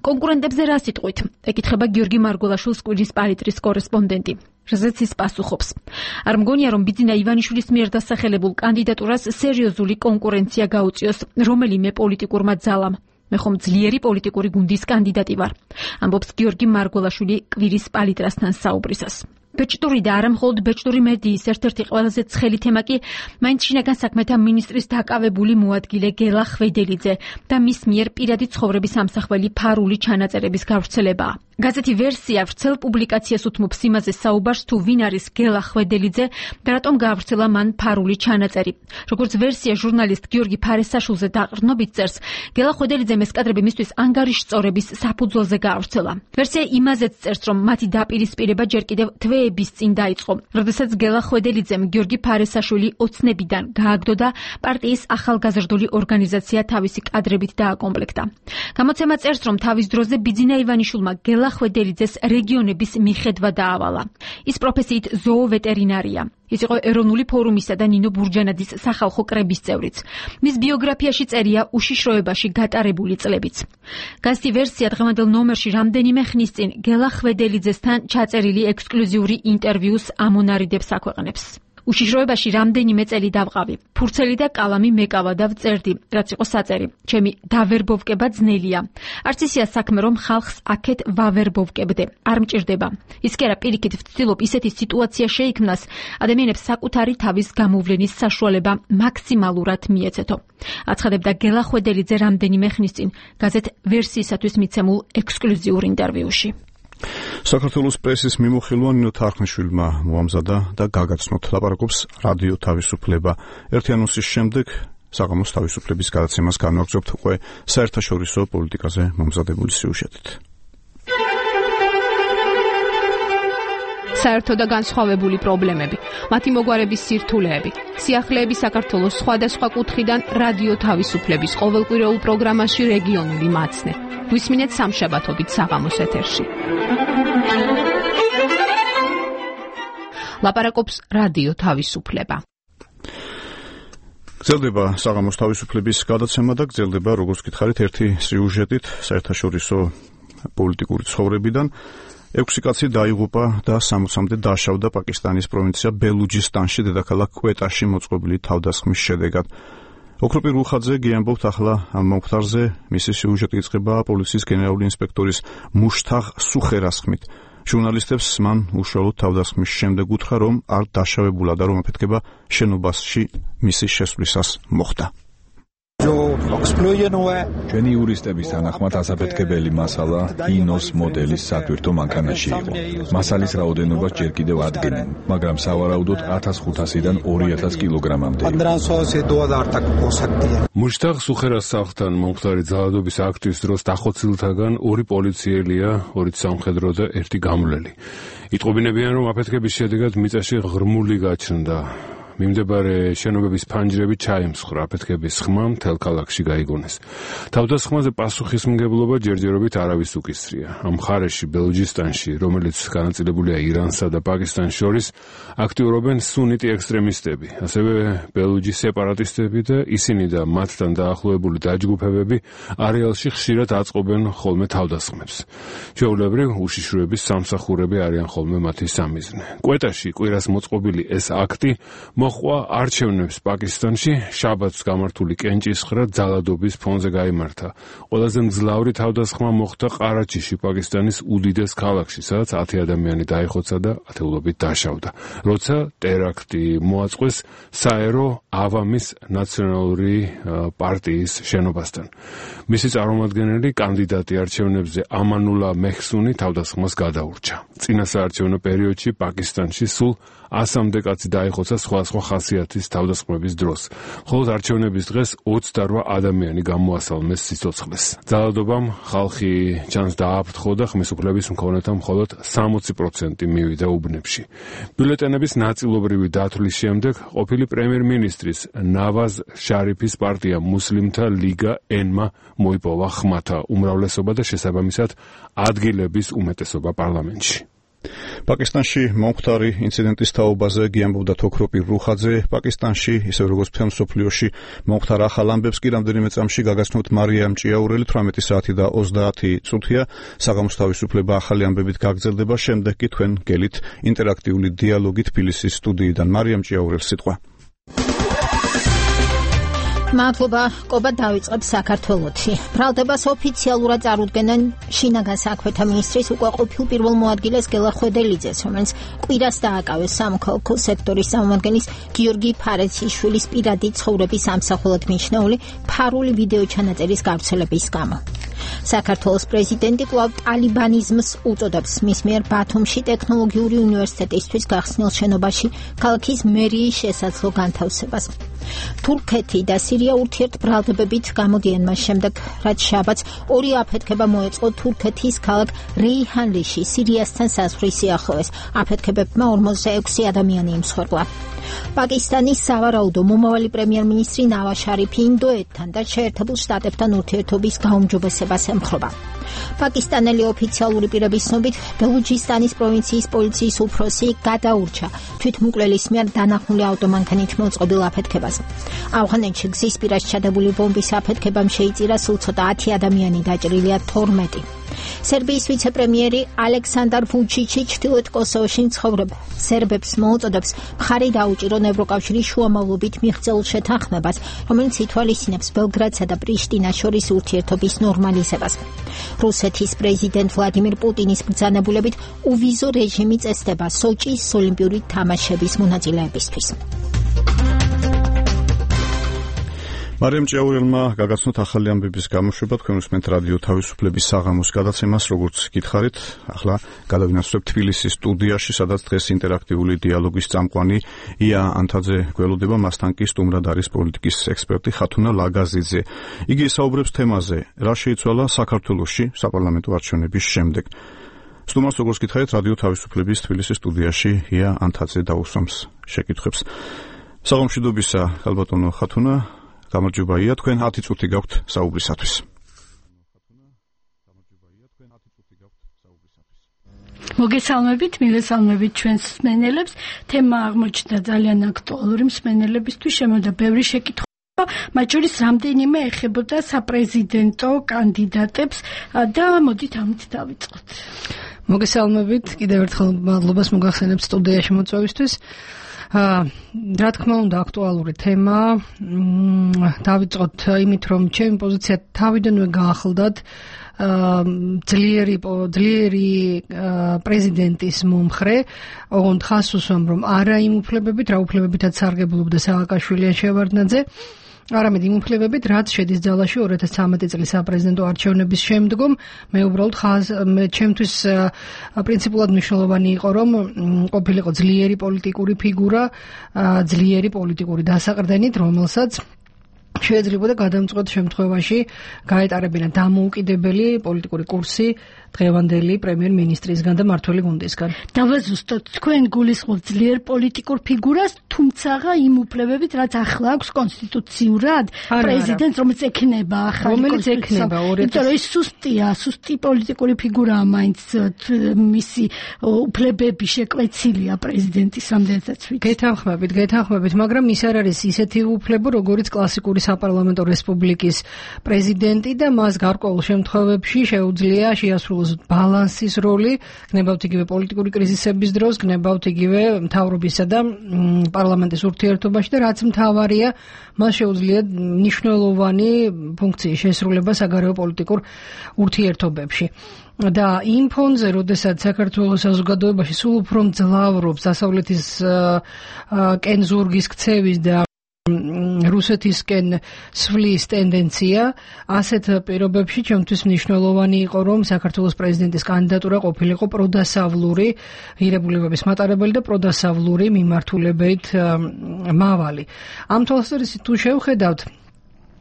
კონკურენტებზე რა სიტყვით? ეკითხება გიორგი მარგველაშვილს კვირის პალიტრის კორესპონდენტი. რაზეც ის პასუხობს. არ მგონია, რომ ბიძინა ივანიშვილის მიერ დასახელებულ კანდიდატურას სერიოზული კონკურენცია გაუწიოს რომელიმე პოლიტიკურმა ძალამ. მე ხომ ძლიერი პოლიტიკური გუნდის კანდიდატი ვარ, ამბობს გიორგი მარგველაშვილი კვირის პალიტრასთან საუბრისას. ბეჭდური და არა მხოლოდ ბეჭდური მედიის ერთ-ერთი ყველაზე ცხელი თემა კი მაინც შინაგან საქმეთა მინისტრის დაკავებული მოადგილე გელა ხვედელიძე და მის მიერ პირადი ცხოვრების ამსახველი ფარული ჩანაწერების გავრცელებაა. გაზეთი ვერსია ვრცელ პუბლიკაციას უთმობს იმაზე საუბარს, თუ ვინ არის გელა ხვედელიძე და რატომ გაავრცელა მან ფარული ჩანაწერი. როგორც ვერსია ჟურნალისტ გიორგი ფარესაშვილზე დაყრდნობით წერს, გელა ხვედელიძემ ეს კადრები მისთვის ანგარიშწორების საფუძველზე გაავრცელა. ვერსია იმაზეც წერს, რომ მათი დაპირისპირება ჯერ კიდევ თვეების წინ დაიწყო, როდესაც გელა ხვედელიძემ გიორგი ფარესაშვილი ოცნებიდან გააგდო და პარტიის ახალგაზრდული ორგანიზაცია თავისი კადრებით დააკომპლექტა. გამოცემა წერს, რომ თავის დროზე ბიძინა ივანიშვილმა გელა ხვედელიძეს რეგიონების მიხედვა დაავალა. ის პროფესიით ზოოვეტერინარია. ის იყო ეროვნული ფორუმისა და ნინო ბურჯანაძის სახალხო კრების წევრიც. მის ბიოგრაფიაში წერია უშიშროებაში გატარებული წლებიც. გაზეთი ვერსია დღევანდელ ნომერში რამდენიმე ხნის წინ გელა ხვედელიძესთან ჩაწერილი ექსკლუზიური ინტერვიუს ამონარიდებს აქვეყნებს. უშიშროებაში რამდენიმე წელი დავყავი. ფურცელი და კალამი მეკავა და ვწერდი, რაც იყო საწერი. ჩემი დავერბოვკება ძნელია. არც ისია საქმე, რომ ხალხს აქეთ ვავერბოვკებდე. არ მჭირდება. ის კი არა, პირიქით ვცდილობ ისეთი სიტუაცია შეიქმნას, ადამიანებს საკუთარი თავის გამოვლენის საშუალება მაქსიმალურად მიეცეთო. აცხადებდა გელა ხვედელიძე რამდენიმე ხნის წინ გაზეთ ვერსიისათვის მიცემულ ექსკლუზიურ ინტერვიუში. საქართველოს პრესის მიმოხილვა ნინო თარხნიშვილმა მოამზადა და გაგაცნოთ, ლაპარაკობს რადიო თავისუფლება. ერთი ანონსის შემდეგ საღამოს თავისუფლების გადაცემას განვაგრძობთ უკვე საერთაშორისო პოლიტიკაზე მომზადებული სიუჟეტით. საერთო და განსხვავებული პრობლემები, მათი მოგვარების სირთულეები, სიახლეები საქართველოს სხვადასხვა კუთხიდან რადიო თავისუფლების ყოველკვირეულ პროგრამაში რეგიონული მაცნე. გვისმინეთ სამშაბათობით საღამოს ეთერში. ლაპარაკობს რადიო თავისუფლება. გრძელდება საღამოს თავისუფლების გადაცემა და გრძელდება, როგორც გითხარით, ერთი სიუჟეტით საერთაშორისო პოლიტიკური ცხოვრებიდან. ექვსი კაცი დაიღუპა და სამოცამდე დაშავდა პაკისტანის პროვინცია ბელუჯისტანში დედაქალაქ კვეტაში მოწყობილი თავდასხმის შედეგად. ოქროპირ უხაძე გიამბობთ ახლა ამ მომხდარზე. მისი სიუჟეტი იწყება პოლიციის გენერალური ინსპექტორის მუშთაღ სუხერას ხმით. ჟურნალისტებს მან უშუალოდ თავდასხმის შემდეგ უთხრა, რომ არ დაშავებულა და რომ აფეთქება შენობაში მისი შესვლისას მოხდა. ჩვენი იურისტების თანახმად ასაფეთქებელი მასალა ინოს მოდელის სატვირთო მანქანაში იყო. მასალის რაოდენობას ჯერ კიდევ ადგენენ, მაგრამ სავარაუდოდ ათას ხუთასიდან ორი ათას კილოგრამამდე. მუშთაღ სუხერას სახლთან მომხდარი ძალადობის აქტის დროს დახოცილთაგან ორი პოლიციელია, ორი სამხედრო და ერთი გამვლელი. იტყობინებიან, რომ აფეთქების შედეგად მიწაში ღრმული გაჩნდა. მიმდებარე შენობების ფანჯრები ჩაემსხრა, აფეთქების ხმა მთელ ქალაქში გაიგონეს. თავდასხმაზე პასუხისმგებლობა ჯერჯერობით არავის უკისრია. ამ მხარეში, ბელუჯისტანში, რომელიც განაწილებულია ირანსა და პაკისტანს შორის, აქტიურობენ სუნიტი ექსტრემისტები, ასევე ბელუჯის სეპარატისტები და ისინი და მათთან დაახლოებული დაჯგუფებები არეალში ხშირად აწყობენ ხოლმე თავდასხმებს. ჩვეულებრივ, უშიშროების სამსახურები არიან ხოლმე მათი სამიზნე. კვეტაში კვირას მოწყობილი ეს აქტი მოხვა არჩევნებს პაკისტანში, შაბათს გამართული კენჭისყრა ძალადობის ფონზე გაიმართა. ყველაზე მძლავრი თავდასხმა მოხდა ყარაჩიში, პაკისტანის უდიდეს ქალაქში, სადაც ათი ადამიანი დაიხოცა და ათეულობით დაშავდა, როცა ტერაქტი მოაწყვეს საერო ავამის ნაციონალური პარტიის შენობასთან. მისი წარმომადგენელი კანდიდატი არჩევნებზე ამანულა მეჰსუნი თავდასხმას გადაურჩა. წინა საარჩევნო პერიოდში პაკისტანში სულ ასამდე კაცი დაიხოცა სხვადასხვა ხასიათის თავდასხმების დროს. მხოლოდ არჩევნების დღეს ოცდარვა ადამიანი გამოასალმეს სიცოცხლეს. ძალადობამ ხალხი ჩანს დააფრთხო და ხმის უფლების მქონეთა მხოლოდ სამოცი პროცენტი მივიდა უბნებში. ბიულეტენების ნაწილობრივი დათვლის შემდეგ ყოფილი პრემიერ-მინისტრის ნავაზ შარიფის პარტია მუსლიმთა ლიგა ენმა მოიპოვა ხმათა უმრავლესობა და შესაბამისად ადგილების უმეტესობა პარლამენტში. პაკისტანში მომხდარი ინციდენტის თაობაზე გიამბობდა თოქროპი რუხაძე. პაკისტანში, ისე როგორც მთელ მსოფლიოში, მომხდარ ახალ ამბებს კი რამდენიმე წამში გაგაცნოთ მარიამ ჭიაურელი. თვრამეტი საათი და ოცდაათი წუთია. საღამოს თავისუფლება ახალი ამბებით გაგრძელდება. შემდეგ კი თქვენ გელით ინტერაქტიული დიალოგი თბილისის სტუდიიდან. მარიამ ჭიაურელს სიტყვა. მადლობა, ყობა დავიწყებს საქართველოში. ბრალდებას ოფიციალურად წარუდგენენ შინაგან საქმეთა მინისტრის უკვე ყოფილ პირველ მოადგილეს გელა ხვედელიძეს, რომელიც კვირას დააკავეს სამოქალაქო სექტორის წარმომადგენლის გიორგი ფარეციშვილის პირადი ცხოვრების ამსახველად მიჩნეული ფარული ვიდეო ჩანაწერის გავრცელების გამო. საქართველოს პრეზიდენტი კვლავ ტალიბანიზმს უწოდებს მის მიერ ბათუმში ტექნოლოგიური უნივერსიტეტისთვის გახსნილ შენობაში ქალაქის მერიის შესაძლო განთავსებას. თურქეთი და სირია ურთიერთბრალდებებით გამოდიან მას შემდეგ, რაც შაბათს ორი აფეთქება მოეწყო თურქეთის ქალაქ რეიჰანლიში, სირიასთან საზღვრის სიახლოვეს. აფეთქებებმა ორმოცდა ექვსი ადამიანი იმსხვერპლა. პაკისტანის სავარაუდო მომავალი პრემიერ-მინისტრი ნავაზ შარიფი ინდოეთთან და შეერთებულ შტატებთან ურთიერთობის გაუმჯობესებას ემხრობა. პაკისტანელი ოფიციალური პირების ცნობით, ბელუჯისტანის პროვინციის პოლიციის უფროსი გადაურჩა თვითმკვლელის მიერ დანახული ავტომანქანით მოწყობილ აფეთქებას. ავღანეთში გზის პირას ჩადებული ბომბის აფეთქებამ შეიწირა სულ ცოტა ათი ადამიანი, დაჭრილია თორმეტი. სერბიის ვიცე-პრემიერი ალექსანდარ ვუჩიჩი ჩრდილოეთ კოსოვოში მცხოვრებ სერბებს მოუწოდებს მხარი დაუჭირონ ევროკავშირის შუამავლობით მიღწეულ შეთანხმებას, რომელიც ითვალისწინებს ბელგრადსა და პრიშტინას შორის ურთიერთობის ნორმალიზებას. რუსეთის პრეზიდენტ ვლადიმირ პუტინის ბრძანებულებით უვიზო რეჟიმი წესდება სოჭის ოლიმპიური თამაშების მონაწილეებისთვის. მარიამ ჭიაურელმა გაგაცნოთ ახალი ამბების გამოშვება. თქვენ უსმენთ რადიო თავისუფლების საღამოს გადაცემას, როგორც გითხარით. ახლა გადავინაცვლებთ თბილისის სტუდიაში, სადაც დღეს ინტერაქტიული დიალოგის წამყვანი ია ანთაძე გველოდება. მასთან კი სტუმრად არის პოლიტიკის ექსპერტი ხათუნა ლაგაზიძე. იგი საუბრებს თემაზე, რა შეიცვალა საქართველოში საპარლამენტო არჩევნების შემდეგ. სტუმარს, როგორც გითხარით, რადიო თავისუფლების თბილისის სტუდიაში ია ანთაძე დაუსვამს შეკითხვებს. საღამოშიდობისა, ხალბატონო ხათუნა, გამარჯობა ია, თქვენ ათი წუთი გაქვთ საუბრისათვის. მოგესალმებით, მილესალმებით ჩვენს მსმენელებს. თემა აღმოჩნდა ძალიან აქტუალური მსმენელებისთვის, შემოდა ბევრი შეკითხვა, მათ შორის რამდენიმე ეხებოდა საპრეზიდენტო კანდიდატებს და მოდით ამით დავიწყოთ. მოგესალმებით, კიდევ ერთხელ მადლობას მოგახსენებთ სტუდიაში მოწვევისთვის. რა თქმა უნდა, აქტუალური თემა. დავიწყოთ იმით, რომ ჩემი პოზიცია თავიდანვე გაახლდათ ძლიერი ძლიერი პრეზიდენტის მომხრე, ოღონდ ხას უსვამ, რომ არა იმ უფლებებით, რა უფლებებითაც სარგებლობდა სააკაშვილი ან შევარდნაძე, არამედ იმ უფლებებით, რაც შედის ძალაში ორი ათას ცხრამეტი წლის საპრეზიდენტო არჩევნების შემდგომ. მე უბრალოდ ხაზ მე ჩემთვის პრინციპულად მნიშვნელოვანი იყო, რომ ყოფილიყო ძლიერი პოლიტიკური ფიგურა, ძლიერი პოლიტიკური დასაყრდენით, რომელსაც შეეძლებოდა გადამწყვეტ შემთხვევაში გაეტარებინა დამოუკიდებელი პოლიტიკური კურსი დღევანდელი პრემიერ-მინისტრისგან და მმართველი გუნდისგან. დავაზუსტოთ, თქვენ გულისხმობთ ძლიერ პოლიტიკურ ფიგურას, თუმცა იმ უფლებებით, რაც ახლა აქვს კონსტიტუციურად პრეზიდენტს, რომელიც ექნება ახალი რომელიც ექნება ორი ათას იმიტომ რომ ის სუსტია, სუსტი პოლიტიკური ფიგურაა, მაინც მისი უფლებები შეკვეცილია პრეზიდენტის რამდენადაც ვიცი. გეთანხმებით, გეთანხმებით, მაგრამ ის არ არის ისეთი უფლებო, როგორიც კლასიკური საპარლამენტო რესპუბლიკის პრეზიდენტი და მას გარკვეულ შემთხვევებში შეუძლია შეასრულოს ბალანსის როლი, გნებავთ იგივე პოლიტიკური კრიზისების დროს, გნებავთ იგივე მთავრობისა და პარლამენტის ურთიერთობაში და რაც მთავარია, მას შეუძლია მნიშვნელოვანი ფუნქციის შესრულება საგარეო პოლიტიკურ ურთიერთობებში. და იმ ფონზე, როდესაც საქართველოს საზოგადოებაში სულ უფრო მძლავრობს დასავლეთის კენზურგის ქცევის და რუსეთისკენ სვლის ტენდენცია, ასეთ პირობებში ჩემთვის მნიშვნელოვანი იყო, რომ საქართველოს პრეზიდენტის კანდიდატურა ყოფილიყო პროდასავლური ღირებულებების მატარებელი და პროდასავლური მიმართულებით მავალი. ამ თვალსაზრისით თუ შევხედავთ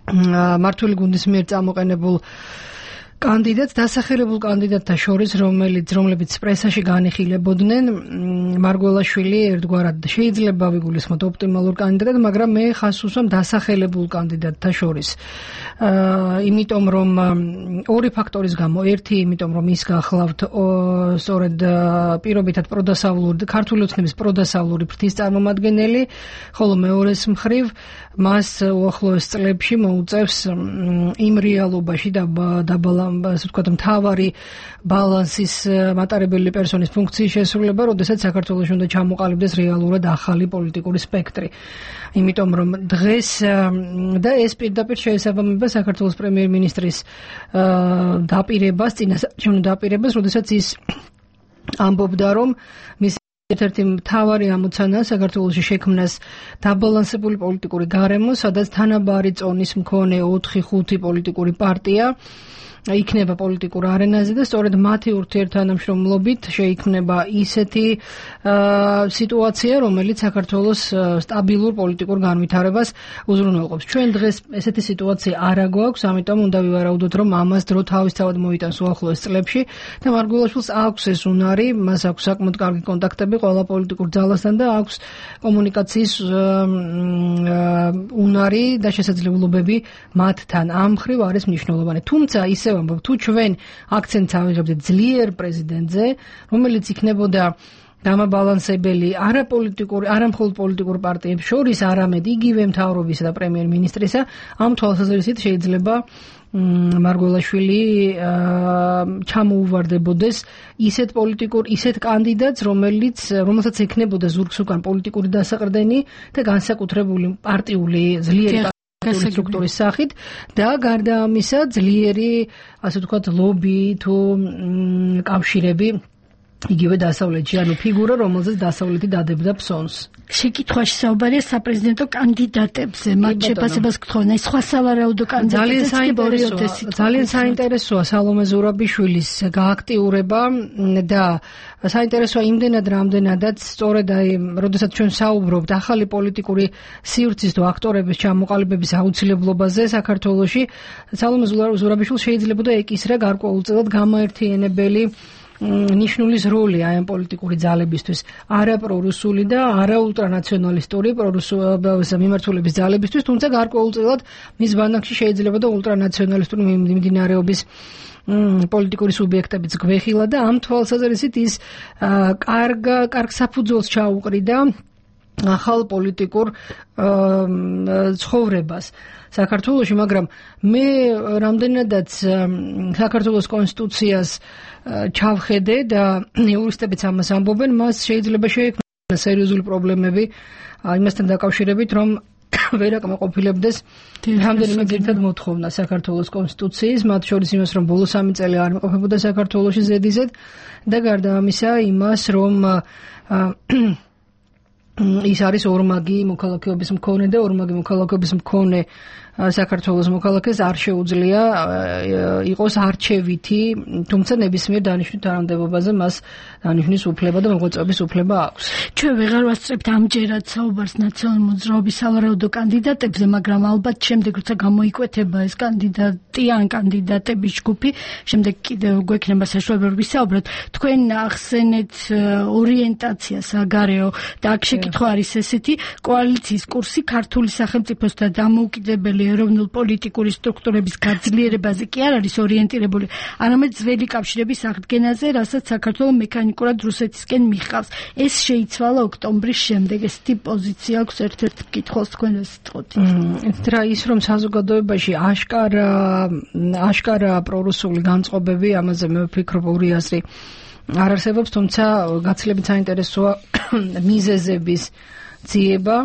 მმართველი გუნდის მიერ წამოყენებულ კანდიდატს დასახელებულ კანდიდატთა შორის, რომელიც რომლებიც პრესაში განიხილებოდნენ, მარგველაშვილი ერთგვარად შეიძლება ვიგულისხმოთ ოპტიმალურ კანდიდატად, მაგრამ მე ხაზს უსვამ დასახელებულ კანდიდატთა შორის. აა იმიტომ რომ ორი ფაქტორის გამო, ერთი იმიტომ რომ ის გახლავთ სწორედ პირობითად პროდასავლური ქართული ოცნების პროდასავლური ფრთის წარმომადგენელი, ხოლო მეორეს მხრივ მას უახლოეს წლებში მოუწევს იმ რეალობაში დაბალა ასე ვთქვათ, მთავარი ბალანსის მატარებელი პერსონის ფუნქციის შესრულება, როდესაც საქართველოში უნდა ჩამოყალიბდეს რეალურად ახალი პოლიტიკური სპექტრი. იმიტომ რომ დღეს და ეს პირდაპირ შეესაბამება საქართველოს პრემიერ-მინისტრის დაპირებას, წინასაარჩევნო დაპირებას, როდესაც ის ამბობდა, რომ მის ერთ-ერთი მთავარი ამოცანა საქართველოში შექმნას დაბალანსებული პოლიტიკური გარემო, სადაც თანაბარი წონის მქონე ოთხი ხუთი პოლიტიკური პარტია იქნება პოლიტიკურ არენაზე და სწორედ მათი ურთიერთთანამშრომლობით შეიქმნება ისეთი სიტუაცია, რომელიც საქართველოს სტაბილურ პოლიტიკურ განვითარებას უზრუნველყოფს. ჩვენ დღეს ესეთი სიტუაცია არ აგვაქვს, ამიტომ უნდა ვივარაუდოთ, რომ ამას დრო თავისთავად მოიტანს უახლოეს წლებში და მარგველაშვილს აქვს ეს უნარი, მას აქვს საკმაოდ კარგი კონტაქტები ყველა პოლიტიკურ ძალასთან და აქვს კომუნიკაციის უნარი და შესაძლებლობები მათთან. ამ მხრივ არის მნიშვნელოვანი. თუმცა ისევ თუ ჩვენ აქცენტს ავიღებდეთ ძლიერ პრეზიდენტზე, რომელიც იქნებოდა გამაბალანსებელი არაპოლიტიკური, არამხოლოდ პოლიტიკურ პარტიებს შორის, არამედ იგივე მთავრობისა და პრემიერ-მინისტრისა, ამ თვალსაზრისით შეიძლება მარგველაშვილი ჩამოუვარდებოდეს ისეთ პოლიტიკურ, ისეთ კანდიდატს, რომელიც რომელსაც ექნებოდა ზურგს უკან პოლიტიკური დასაყრდენი და განსაკუთრებული პარტიული ძლიერი სტრუქტურის სახით და გარდა ამისა ძლიერი, ასე ვთქვათ, ლობი თუ კავშირები იგივე დასავლეთში, ანუ ფიგურა, რომელზეც დასავლეთი დადებდა ფსონს. შეკითხვაში საუბარია საპრეზიდენტო კანდიდატებზე, მათ შეფასებას გთხოვნა, ის სხვა სავარაუდო კანდიდატებს ძალიან საინტერესოა სალომე ზურაბიშვილის გააქტიურება და საინტერესოა იმდენად, რამდენადაც სწორედ აი, როდესაც ჩვენ საუბრობთ ახალი პოლიტიკური სივრცის თუ აქტორების ჩამოყალიბების აუცილებლობაზე საქართველოში, სალომე ზურაბიშვილს შეიძლებოდა ეკისრა გარკვეულწილად გამაერთიანებელი ნიშნულის როლი აი ამ პოლიტიკური ძალებისთვის, არა პრორუსული და არა ულტრანაციონალისტური პრორუსული მიმართულების ძალებისთვის, თუმცა გარკვეულწილად მის ბანაკში შეიძლება და ულტრანაციონალისტური მიმდინარეობის პოლიტიკური სუბიექტებიც გვეხილა და ამ თვალსაზრისით ის კარგ კარგ საფუძველს ჩაუყრიდა ახალ პოლიტიკურ ცხოვრებას საქართველოში, მაგრამ მე რამდენადაც საქართველოს კონსტიტუციას ჩავხედე და იურისტებიც ამას ამბობენ, მას შეიძლება შეექმნა სერიოზული პრობლემები იმასთან დაკავშირებით, რომ ვერ აკმაყოფილებდეს რამდენიმე ძირითად მოთხოვნა საქართველოს კონსტიტუციის, მათ შორის იმას, რომ ბოლო სამი წელი არ იმყოფებოდა საქართველოში ზედიზედ და გარდა ამისა იმას, რომ ის არის ორმაგი მოქალაქეობის მქონე და ორმაგი მოქალაქეობის მქონე საქართველოს მოქალაქეს არ შეუძლია იყოს არჩევითი, თუმცა ნებისმიერ დანიშვნით თანამდებობაზე მას დანიშნვის უფლება და მოღვაწეობის უფლება აქვს. ჩვენ ვეღარ ვასწრებთ ამჯერად საუბარს ნაციონალური მოძრაობის სავარაუდო კანდიდატებზე, მაგრამ ალბათ შემდეგ როცა გამოიკვეთება ეს კანდიდატი ან კანდიდატების ჯგუფი, შემდეგ კიდევ გვექნება საშუალება ვისაუბროთ. თქვენ ახსენეთ ორიენტაცია საგარეო და აქ შეკითხვა არის ესეთი, კოალიციის კურსი ქართული სახელმწიფოს და დამოუკიდებელი ეროვნულ პოლიტიკური სტრუქტურების გაძლიერებაზე კი არ არის ორიენტირებული, არამედ ძველი კავშირების აღდგენაზე, რასაც საქართველო მექანიკურად რუსეთისკენ მიჰყავს. ეს შეიცვალა ოქტომბრის შემდეგ. ესეთი პოზიცია აქვს ერთ-ერთ მკითხველს თქვენ ვესწროთ. რა ის რომ საზოგადოებაში აშკარა აშკარა პრორუსული განწყობები, ამაზე მე ვფიქრობ ორი აზრი არ არსებობს, თუმცა გაცილებით საინტერესოა მიზეზების ძიება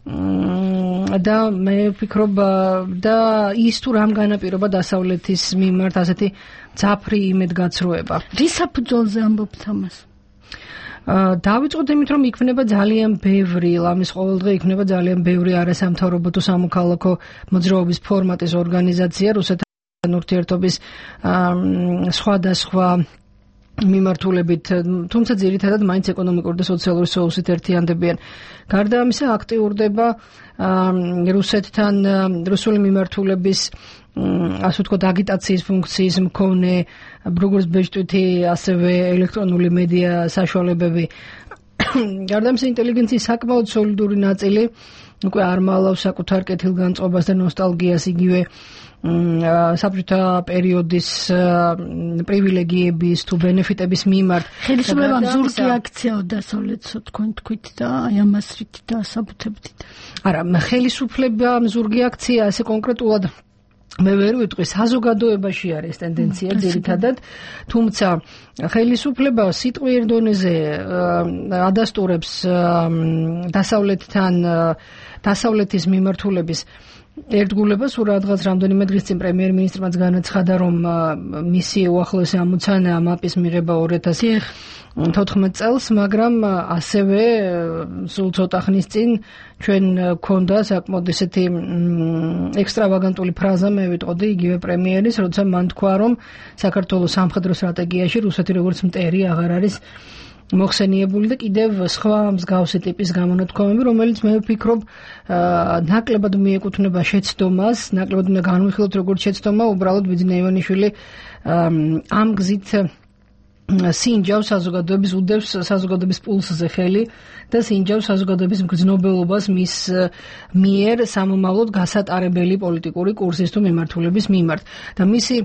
და მე ვფიქრობ და ის თუ რამ განაპირობა დასავლეთის მიმართ ასეთი ძაფრი იმედგაცრუება. რის საფუძველზე ამბობთ ამას? დავიწყოთ იმით, რომ იქნება ძალიან ბევრი, ლამის ყოველდღე იქნება ძალიან ბევრი არასამთავრობო თუ სამოქალაქო მოძრაობის ფორმატის ორგანიზაცია რუსეთთან ურთიერთობის სხვადასხვა მიმართულებით, თუმცა ძირითადად მაინც ეკონომიკური და სოციალური სოუსით ერთიანდებიან. გარდა ამისა აქტიურდება რუსეთთან რუსული მიმართულების ასე ვთქვათ, აგიტაციის ფუნქციის მქონე, როგორც ბეჭდვითი, ასევე ელექტრონული მედია საშუალებები. გარდა ამისა, ინტელიგენციის საკმაოდ სოლიდური ნაწილი უკვე არ მალავს საკუთარ კეთილგანწყობას და ნოსტალგიას იგივე საბჭოთა პერიოდის პრივილეგიების თუ ბენეფიტების მიმართ. ხელისუფლებამ ზურგი აქციაო დასავლეთსო თქვენ თქვით და აი ამას რით დაასაბუთებდით? არა, ხელისუფლებამ ზურგი აქცია ასე კონკრეტულად მე ვერ ვიტყვი, საზოგადოებაში არის ტენდენცია ძირითადად, თუმცა ხელისუფლება სიტყვიერ დონეზე ადასტურებს დასავლეთთან დასავლეთის მიმართულების ერთგულებას. ურადღაც რამდენიმე დღის წინ პრემიერ-მინისტრმაც განაცხადა, რომ მისი უახლოესი ამოცანაა მაპის მიღება ორი ათას თოთხმეტ წელს, მაგრამ ასევე სულ ცოტა ხნის წინ ჩვენ გქონდა საკმაოდ ესეთი ექსტრავაგანტული ფრაზა, მე ვიტყოდი იგივე პრემიერის, როცა მან თქვა, რომ საქართველოს სამხედრო სტრატეგიაში რუსეთი როგორც მტერი აღარ არის მოხსენიებული და კიდევ სხვა მსგავსი ტიპის გამონათქვამები, რომელიც მე ვფიქრობ ნაკლებად მიეკუთვნება შეცდომას, ნაკლებად უნდა განვიხილოთ როგორც შეცდომა, უბრალოდ ბიძინა ივანიშვილი ამ გზით სინჯავს საზოგადოების უდევს საზოგადოების პულსზე ხელი და სინჯავს საზოგადოების მგრძნობელობას მის მიერ სამომავლოდ გასატარებელი პოლიტიკური კურსის თუ მიმართულების მიმართ. და მისი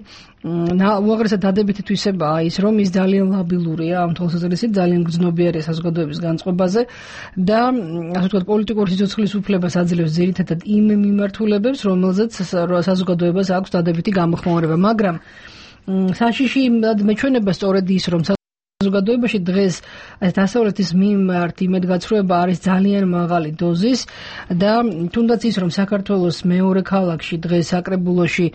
უაღრესად დადებითი თვისებაა ის, რომ ის ძალიან ლაბილურია ამ თვალსაზრისით, ძალიან გრძნობიარია საზოგადოების განწყობაზე და ასე ვთქვათ, პოლიტიკური სიცოცხლის უფლებას აძლევს ძირითადად იმ მიმართულებებს, რომელზეც საზოგადოებას აქვს დადებითი გამოხმაურება, მაგრამ საშიში მეჩვენება სწორედ ის, რომ საზოგადოებაში დღეს დასავლეთის მიმართ იმედგაცრუება არის ძალიან მაღალი დოზის და თუნდაც ის, რომ საქართველოს მეორე ქალაქში დღეს საკრებულოში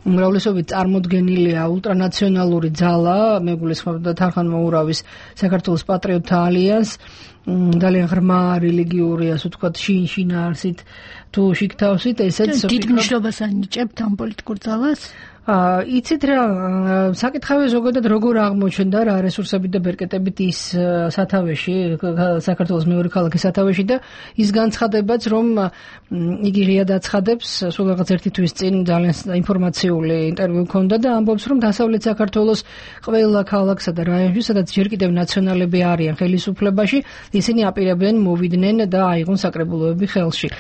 უმრავლესობით წარმოდგენილია ულტრანაციონალური ძალა, მეგულისხმობდა თარხან მოურავის საქართველოს პატრიოტთა ალიანს, ძალიან ღრმა რელიგიური, ასე ვთქვათ, შინ-შინაარსით თუ შიგთავსით, ესეც დიდ მნიშვნელობას ანიჭებთ ამ პოლიტიკურ ძალას? იცით რა, საკითხავე ზოგადად როგორ აღმოჩნდა რა რესურსებით და ბერკეტებით ის სათავეში, საქართველოს მეორე ქალაქის სათავეში და ის განცხადებაც, რომ იგი ღიად აცხადებს, სულ რაღაც ერთი თვის წინ ძალიან ინფორმაციული ინტერვიუ ჰქონდა და ამბობს, რომ დასავლეთ საქართველოს ყველა ქალაქსა და რაიონში, სადაც ჯერ კიდევ ნაციონალები არიან ხელისუფლებაში, ისინი აპირებენ მოვიდნენ და აიღონ საკრებულოები ხელში.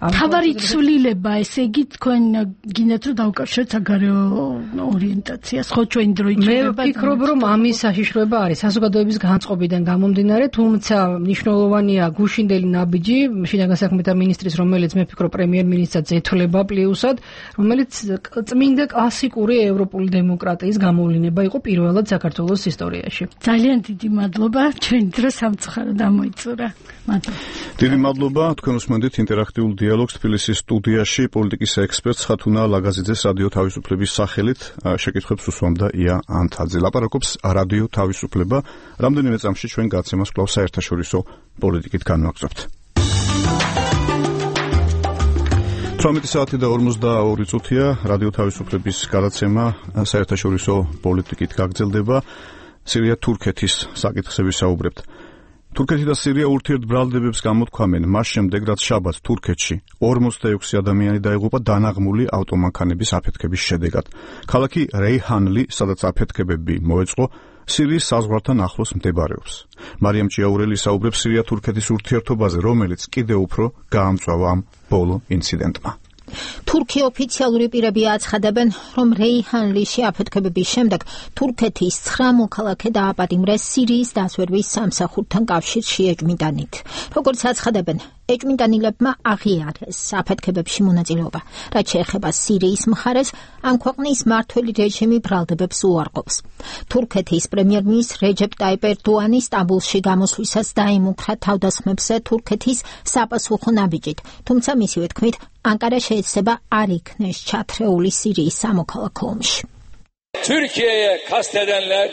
თავარი ცვლილება, ესე იგი თქვენ გინდათ რომ დავკავშიროთ საგარეო ორიენტაციას, ხო ჩვენ დრო იჭირება. მე ვფიქრობ, რომ ამის საშიშროება არის საზოგადოების განწყობიდან გამომდინარე, თუმცა მნიშვნელოვანია გუშინდელი ნაბიჯი შინაგან საქმეთა მინისტრის, რომელიც მე ვფიქრობ პრემიერ-მინისტრსაც ეთვლება პლუსად, რომელიც წმინდა კლასიკური ევროპული დემოკრატიის გამოვლინება იყო პირველად საქართველოს ისტორიაში. ძალიან დიდი მადლობა, ჩვენ დრო სამწუხაროდ ამოიწურა. მადლობა. დიდი მადლობა, თქვენ უსმენთ ინტერაქტიულ დიალოგს თბილისის სტუდიაში პოლიტიკის ექსპერტ ხათუნა ლაგაზიძეს რადიო თავისუფლების სახელით შეკითხვებს უსვამდა ია ანთაძე. ლაპარაკობს რადიო თავისუფლება. რამდენიმე წამში ჩვენ გაცემას კვლავ საერთაშორისო პოლიტიკით განვაგრძობთ. თვრამეტი საათი და ორმოცდაორი წუთია რადიო თავისუფლების გადაცემა საერთაშორისო პოლიტიკით გაგრძელდება. სირია-თურქეთის საკითხზე ვისაუბრებთ. თურქეთი და სირია ურთიერთბრალდებებს გამოთქვამენ მას შემდეგ, რაც შაბათს თურქეთში ორმოცდაექვსი ადამიანი დაიღუპა დანაღმული ავტომანქანების აფეთქების შედეგად. ქალაქი რეიჰანლი, სადაც აფეთქებები მოეწყო, სირიის საზღვართან ახლოს მდებარეობს. მარიამ ჭიაურელი საუბრებს სირია-თურქეთის ურთიერთობაზე, რომელიც კიდევ უფრო გაამწვავა ამ ბოლო ინციდენტმა. თურქი ოფიციალური პირები აცხადებენ, რომ რეიჰანლიში აფეთქებების შემდეგ თურქეთის ცხრა მოქალაქე დააპატიმრეს სირიის დასვერვის სამსახურთან კავშირში ეჭვმიტანით. როგორც აცხადებენ, ეჭვმიტანილებმა აღიარეს აფეთქებებში მონაწილეობა. რაც შეეხება სირიის მხარეს, ამ ქვეყნის მმართველი რეჟიმი ბრალდებებს უარყოფს. თურქეთის პრემიერ-მინისტრ რეჯეპ ტაიპ ერდოანი სტამბოლში გამოსვლისას დაიმუქრა თავდასხმებზე თურქეთის საპასუხო ნაბიჯით, თუმცა მისივე თქმით, ანკარა შეეცდება არ იქნეს ჩათრეული სირიის სამოქალაქო ომში. Türkiye'ye kastedenler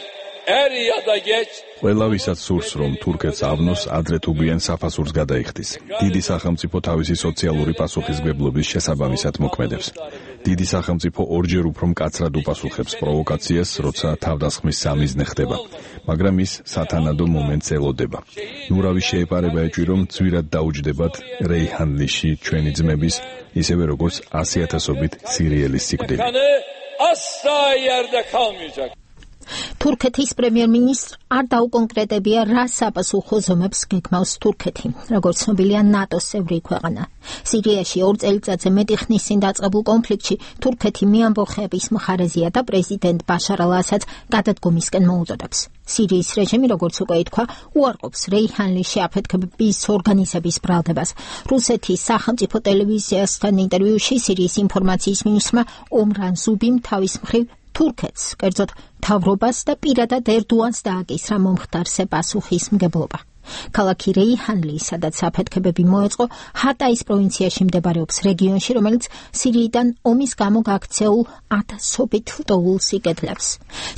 er ya da geç ყველა ვისაც სურს რომ თურქეთს ავნოს ადრე თუ გვიან საფასურს გადაიხდის. დიდი სახელმწიფო თავისი სოციალური პასუხისმგებლობის შესაბამისად მოქმედებს. დიდი სახელმწიფო ორჯერ უფრო მკაცრად უპასუხებს პროვოკაციას, როცა თავდასხმის სამიზნე ხდება, მაგრამ ის სათანადო მომენტს ელოდება. ნურავის შეეპარება ეჭვი რომ ძვირად დაუჯდებათ რეიჰანლიში ჩვენი ძმების, ისევე როგორც ასი ათასობით სირიელის სიკვდილი. asla yerde kalmayacak. თურქეთის პრემიერ-მინისტრ არ დაუკონკრეტებია რა საპასუხო ზომებს გეგმავს თურქეთი, როგორც ცნობილია ნატოს წევრი ქვეყანა. სირიაში ორ წელიწადზე მეტი ხნის წინ დაწყებულ კონფლიქტში თურქეთი მიამბოხების მხარეზეა და პრეზიდენტ ბაშარ ალ-ასადს გადადგომისკენ მოუწოდებს. სირიის რეჟიმი, როგორც უკვე ითქვა, უარყოფს რეიჰანლიში აფეთქების ორგანიზების ბრალდებას. რუსეთის სახელმწიფო ტელევიზიასთან ინტერვიუში სირიის ინფორმაციის მინისტრმა ომრან ზუბიმ თავის მხრივ თურქეთს, კერძოდ მთავრობას და პირადად ერდოანს დააკისრა მომხდარზე პასუხისმგებლობა. ქალაქი რეიჰანლი, სადაც აფეთქებები მოეწყო, ჰატაის პროვინციაში მდებარეობს რეგიონში, რომელიც სირიიდან ომის გამო გაქცეულ ათასობით ლტოლვილს იკეთლებს.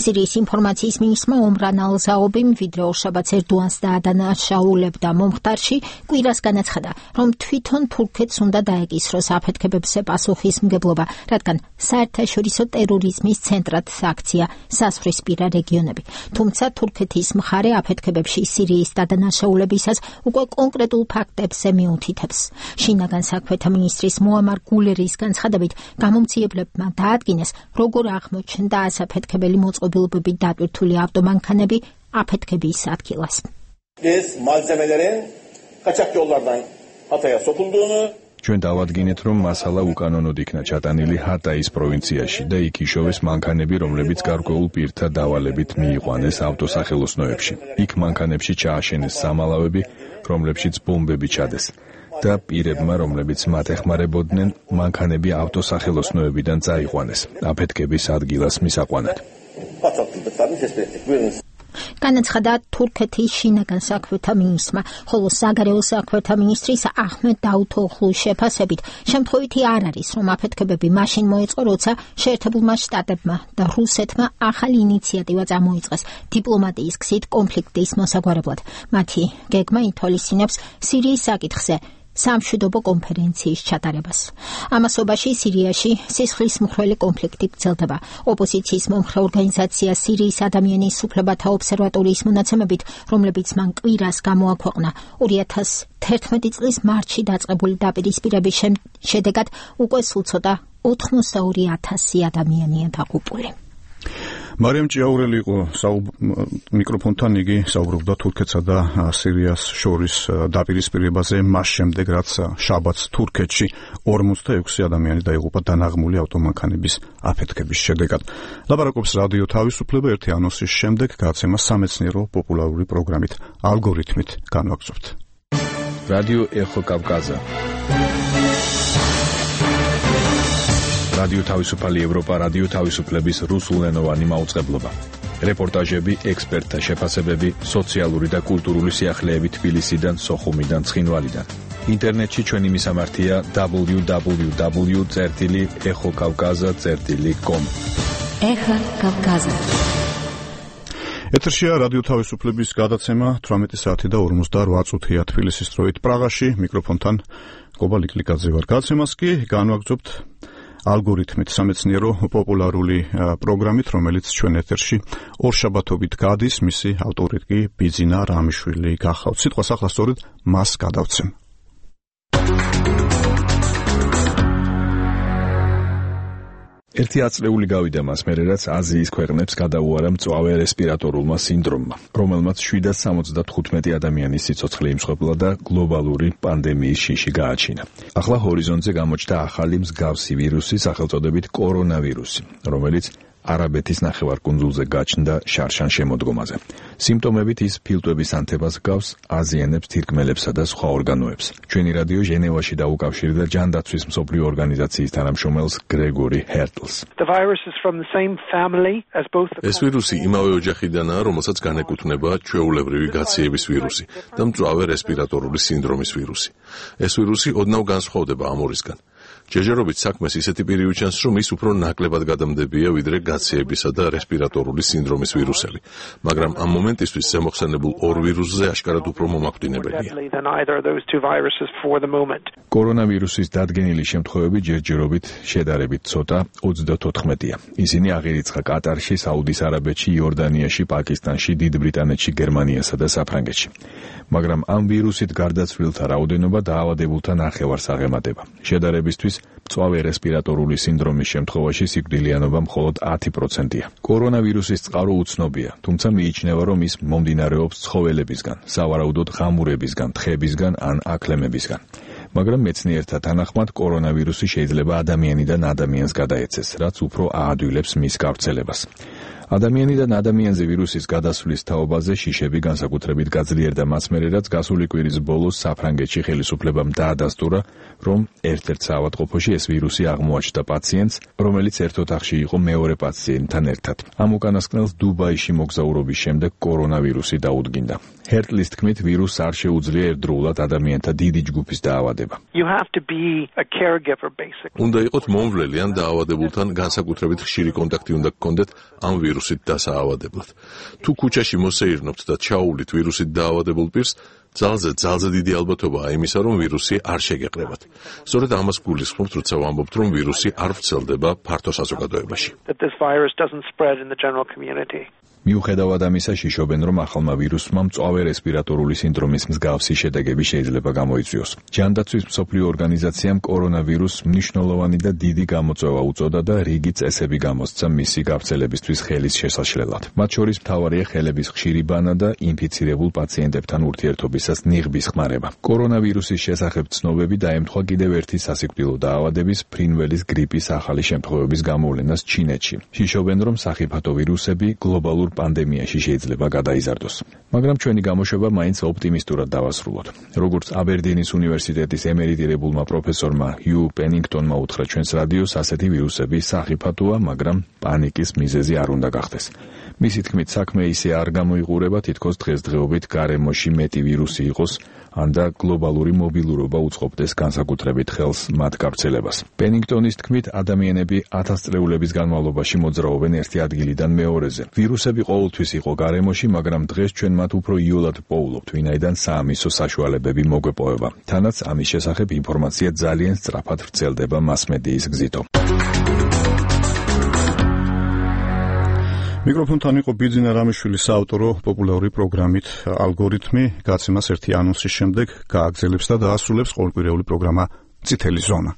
სირიის ინფორმაციის მინისტრმა ომრან ალ-ზაობიმ ვიდრე ორშაბათს ერდოანს დაადანაშაულებდა მომხდარში, კვირას განაცხადა, რომ თვითონ თურქეთს უნდა დაეკისროს აფეთქებებზე პასუხისმგებლობა, რადგან საერთაშორისო ტერორიზმის ცენტრად აქცია სასვრისპირა რეგიონები. თუმცა თურქეთის მხარე აფეთქებებში სირიის დადანაშაულებისას უკვე კონკრეტულ ფაქტებზე მიუთითებს. შინაგან საქმეთა მინისტრის მოამარ გულერის განცხადებით, გამომცემლებმა დაადგინეს, როგორ აღმოჩნდა ასაფეთქებელი მოწყობილობებით დატვირთული ავტომანქანები აფეთქების ადგილას. Biz malzemelerin kaçak yollardan Hatay'a sokulduğunu ჩვენ დავადგინეთ, რომ მასალა უკანონოდ იქნა ჩატანილი ჰატაის პროვინციაში და იქ იშოვეს მანქანები, რომლებიც გარკვეულ პირთა დავალებით მიიყვანეს ავტოსახელოსნოებში. იქ მანქანებში ჩააშენეს სამალავები, რომლებშიც ბომბები ჩადეს. და პირებმა, რომლებიც მათ ეხმარებოდნენ, მანქანები ავტოსახელოსნოებიდან წაიყვანეს აფეთქების ადგილას მისაყვანად. განაცხადა თურქეთის შინაგან საქმეთა მინისტრმა, ხოლო საგარეო საქმეთა მინისტრის აჰმედ დაუთოღლუს შეფასებით, შემთხვევითი არ არის, რომ აფეთქებები მაშინ მოეწყო, როცა შეერთებულმა შტატებმა და რუსეთმა ახალი ინიციატივა წამოიწყეს დიპლომატიის გზით კონფლიქტის მოსაგვარებლად. მათი გეგმა ითვალისწინებს სირიის საკითხზე სამშვიდობო კონფერენციის ჩატარებას. ამასობაში სირიაში სისხლის მხვრელი კონფლიქტი გრძელდება. ოპოზიციის მომხრე ორგანიზაცია სირიის ადამიანის უფლებათა ობსერვატორიის მონაცემებით, რომლებიც მან კვირას გამოაქვეყნა, ორი ათას თერთმეტი წლის მარტში დაწყებული დაპირისპირების შედეგად უკვე სულ ცოტა ოცდაორი ათასი ადამიანია დაღუპული. მარიამ ჭიაურელი იყო მიკროფონთან, იგი საუბრობდა თურქეთსა და სირიას შორის დაპირისპირებაზე, მას შემდეგ რაც შაბათს თურქეთში ორმოცდაექვსი ადამიანი დაიღუპა დანაღმული ავტომანქანების აფეთქების შედეგად. ლაპარაკობს რადიო თავისუფლება ერთი ანონსის შემდეგ გაცემა სამეცნიერო პოპულარული პროგრამით ალგორითმით განვაგრძობთ. რადიო ეხო კავკაზა. რადიო თავისუფალი ევროპა, რადიო თავისუფლების რუსულენოვანი მაუწყებლობა. რეპორტაჟები, ექსპერტთა შეფასებები, სოციალური და კულტურული სიახლეები თბილისიდან, სოხუმიდან, ცხინვალიდან. ინტერნეტში ჩვენი მისამართია დაბლიუ დაბლიუ დაბლიუ წერტილი ეხო კავკაზა წერტილი კომ. ეხა კავკაზა. ეთერშია რადიო თავისუფლების გადაცემა თვრამეტი საათი და ორმოცდაორი წუთია თბილისის დროით პრაღაში, მიკროფონთან გობა ლიკლიკაძე ვარ. გადაცემას კი განვაგრძობთ ალგორითმით სამეცნიერო პოპულარული პროგრამით, რომელიც ჩვენ ეთერში ორშაბათობით გადის, მისი ავტორი კი ბიძინა რამიშვილი გახავთ. სიტყვას ახლა სწორედ მას გადავცემ. ერთი აწლეული გავიდა მას მერე, რაც აზიის ქვეყნებს გადაუარა მწვავე რესპირატორულმა სინდრომმა, რომელმაც შვიდას სამოცდათხუთმეტი ადამიანის სიცოცხლე იმსხვერპლა და გლობალური პანდემიის შიში გააჩინა. ახლა ჰორიზონტზე გამოჩნდა ახალი მსგავსი ვირუსი, სახელწოდებით კორონავირუსი, რომელიც არაბეთის ნახევარკუნძულზე გაჩნდა შარშან შემოდგომაზე. სიმპტომებით ის ფილტვების ანთებას გავს, აზიანებს თირკმელებსა და სხვა ორგანოებს. ჩვენი რადიო ჟენევაში დაუკავშირდა ჯანდაცვის მსოფლიო ორგანიზაციის თანამშრომელს გრეგორი ჰერტლს. ეს ვირუსი იმავე ოჯახიდანაა, რომელსაც განეკუთვნება ჩვეულებრივი გაციების ვირუსი და მწვავე რესპირატორული სინდრომის ვირუსი. ეს ვირუსი ოდნავ განსხვავდება ამ ორისგან. ჯერჯერობით საქმეს ისეთი პირი უჩენს, რომ ის უფრო ნაკლებად გადამდებია ვიდრე გაციებისა და რესპირატორული სინდრომის ვირუსები, მაგრამ ამ მომენტისთვის ზემოხსენებულ ორ ვირუსზე აშკარად უფრო მომაკვდინებელია. კორონავირუსის დადგენილი შემთხვევები ჯერჯერობით შედარებით ცოტა ოცდათოთხმეტია. ისინი აღირიცხა კატარში, საუდის არაბეთში, იორდანიაში, პაკისტანში, დიდ ბრიტანეთში, გერმანიასა და საფრანგეთში. მაგრამ ამ ვირუსით გარდაცვლილთა რაოდენობა დაავადებულთა ნახევარს აღემატება. შედარებისთვის მწვავე რესპირატორული სინდრომის შემთხვევაში სიკვდილიანობა მხოლოდ ათი პროცენტია. კორონავირუსის წყარო უცნობია, თუმცა მიიჩნევა, რომ ის მომდინარეობს ცხოველებისგან, სავარაუდოდ ღამურებისგან, თხებისგან ან აქლემებისგან. მაგრამ მეცნიერთა თანახმად კორონავირუსი შეიძლება ადამიანიდან ადამიანს გადაეცეს, რაც უფრო აადვილებს მის გავრცელებას. ადამიანიდან ადამიანზე ვირუსის გადასვლის თაობაზე შიშები განსაკუთრებით გაძლიერდა მას მერე, რაც გასული კვირის ბოლოს საფრანგეთში ხელისუფლებამ დაადასტურა, რომ ერთ-ერთ საავადმყოფოში ეს ვირუსი აღმოაჩნდა პაციენტს, რომელიც ერთ ოთახში იყო მეორე პაციენტთან ერთად. ამ უკანასკნელს დუბაიში მოგზაურობის შემდეგ კორონავირუსი დაუდგინდა. ჰერტლის თქმით, ვირუსს არ შეუძლია ერთდროულად ადამიანთა დიდი ჯგუფის დაავადება. უნდა იყოთ მომვლელი ან დაავადებულთან განსაკუთრებით ხშირი კონტაქტი უნდა გქონდეთ ამ ვირუსით დასაავადებლად. თუ ქუჩაში მოსეირნობთ და ჩაუვლით ვირუსით დაავადებულ პირს, ძალზე ძალზე დიდი ალბათობაა იმისა, რომ ვირუსი არ შეგეყრებათ. სწორედ ამას გულისხმობთ, როცა ვამბობთ, რომ ვირუსი არ ვრცელდება ფართო საზოგადოებაში. მიუხედავად ამისა, შიშობენ, რომ ახალმა ვირუსმა მწვავე რესპირატორული სინდრომის მსგავსი შედეგები შეიძლება გამოიწვიოს. ჯანდაცვის მსოფლიო ორგანიზაციამ კორონავირუსს მნიშვნელოვანი და დიდი გამოწვევა უწოდა და რიგი წესები გამოსცა მისი გავრცელებისთვის ხელის შესაშლელად. მათ შორის მთავარია ხელების ხშირი ბანა და ინფიცირებულ პაციენტებთან ურთიერთობისას ნიღბის ხმარება. კორონავირუსის შესახებ ცნობები დაემთხვა კიდევ ერთი სასიკვდილო დაავადების, ფრინველის გრიპის ახალი შემთხვევების გამოვლენას ჩინეთში. შიშობენ, რომ სახიფათო ვირუსები გლობალურ პანდემიაში შეიძლება გადაიზარდოს. მაგრამ ჩვენი გამოშვება მაინც ოპტიმისტურად დავასრულოთ. როგორც აბერდინის უნივერსიტეტის ემერიტირებულმა პროფესორმა ჰიუ პენინგტონმა უთხრა ჩვენს რადიოს, ასეთი ვირუსები სახიფათოა, მაგრამ პანიკის მიზეზი არ უნდა გახდეს. მისი თქმით, საქმე ისე არ გამოიყურება, თითქოს დღესდღეობით გარემოში მეტი ვირუსი იყოს, ან და გლობალური მობილურობა უწყობდეს განსაკუთრებით ხელს მათ გავრცელებას. პენინგტონის თქმით, ადამიანები ათასწლეულების განმავლობაში მოძრაობენ ერთი ადგილიდან მეორეზე. ვირუსები ყოველთვის იყო გარემოში, მაგრამ დღეს ჩვენ მათ უფრო იოლად პოულობთ, ვინაიდან საამისო საშუალებები მოგვეპოვება. თანაც ამის შესახებ ინფორმაცია ძალიან სწრაფად ვრცელდება მასმედიის გზითო. მიკროფონთან იყო ბიძინა რამიშვილის საავტორო პოპულარული პროგრამით ალგორითმი, გაცემას ერთი ანონსის შემდეგ გააგრძელებს და დაასრულებს ყოველკვირეული პროგრამა წითელი ზონა.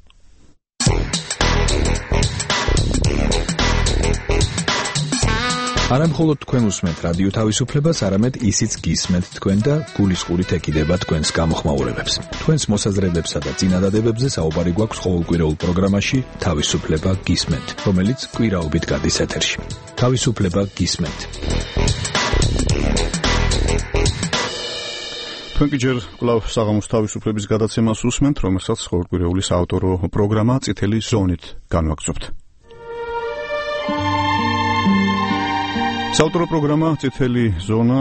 არა მხოლოდ თქვენ უსმენთ რადიო თავისუფლებას, არამედ ისიც გისმენთ თქვენ და გულისყურით ეკიდება თქვენს გამოხმაურებებს. თქვენს მოსაზრებებსა და წინადადებებზე საუბარი გვაქვს ყოველკვირეულ პროგრამაში თავისუფლება გისმენთ, რომელიც კვირაობით გადის ეთერში. თავისუფლება გისმენთ. თქვენ კი ჯერ კვლავ საღამოს თავისუფლების გადაცემას უსმენთ, რომელსაც ყოველკვირეული საავტორო პროგრამა წითელი ზონით განვაგრძობთ. საავტორო პროგრამა წითელი ზონა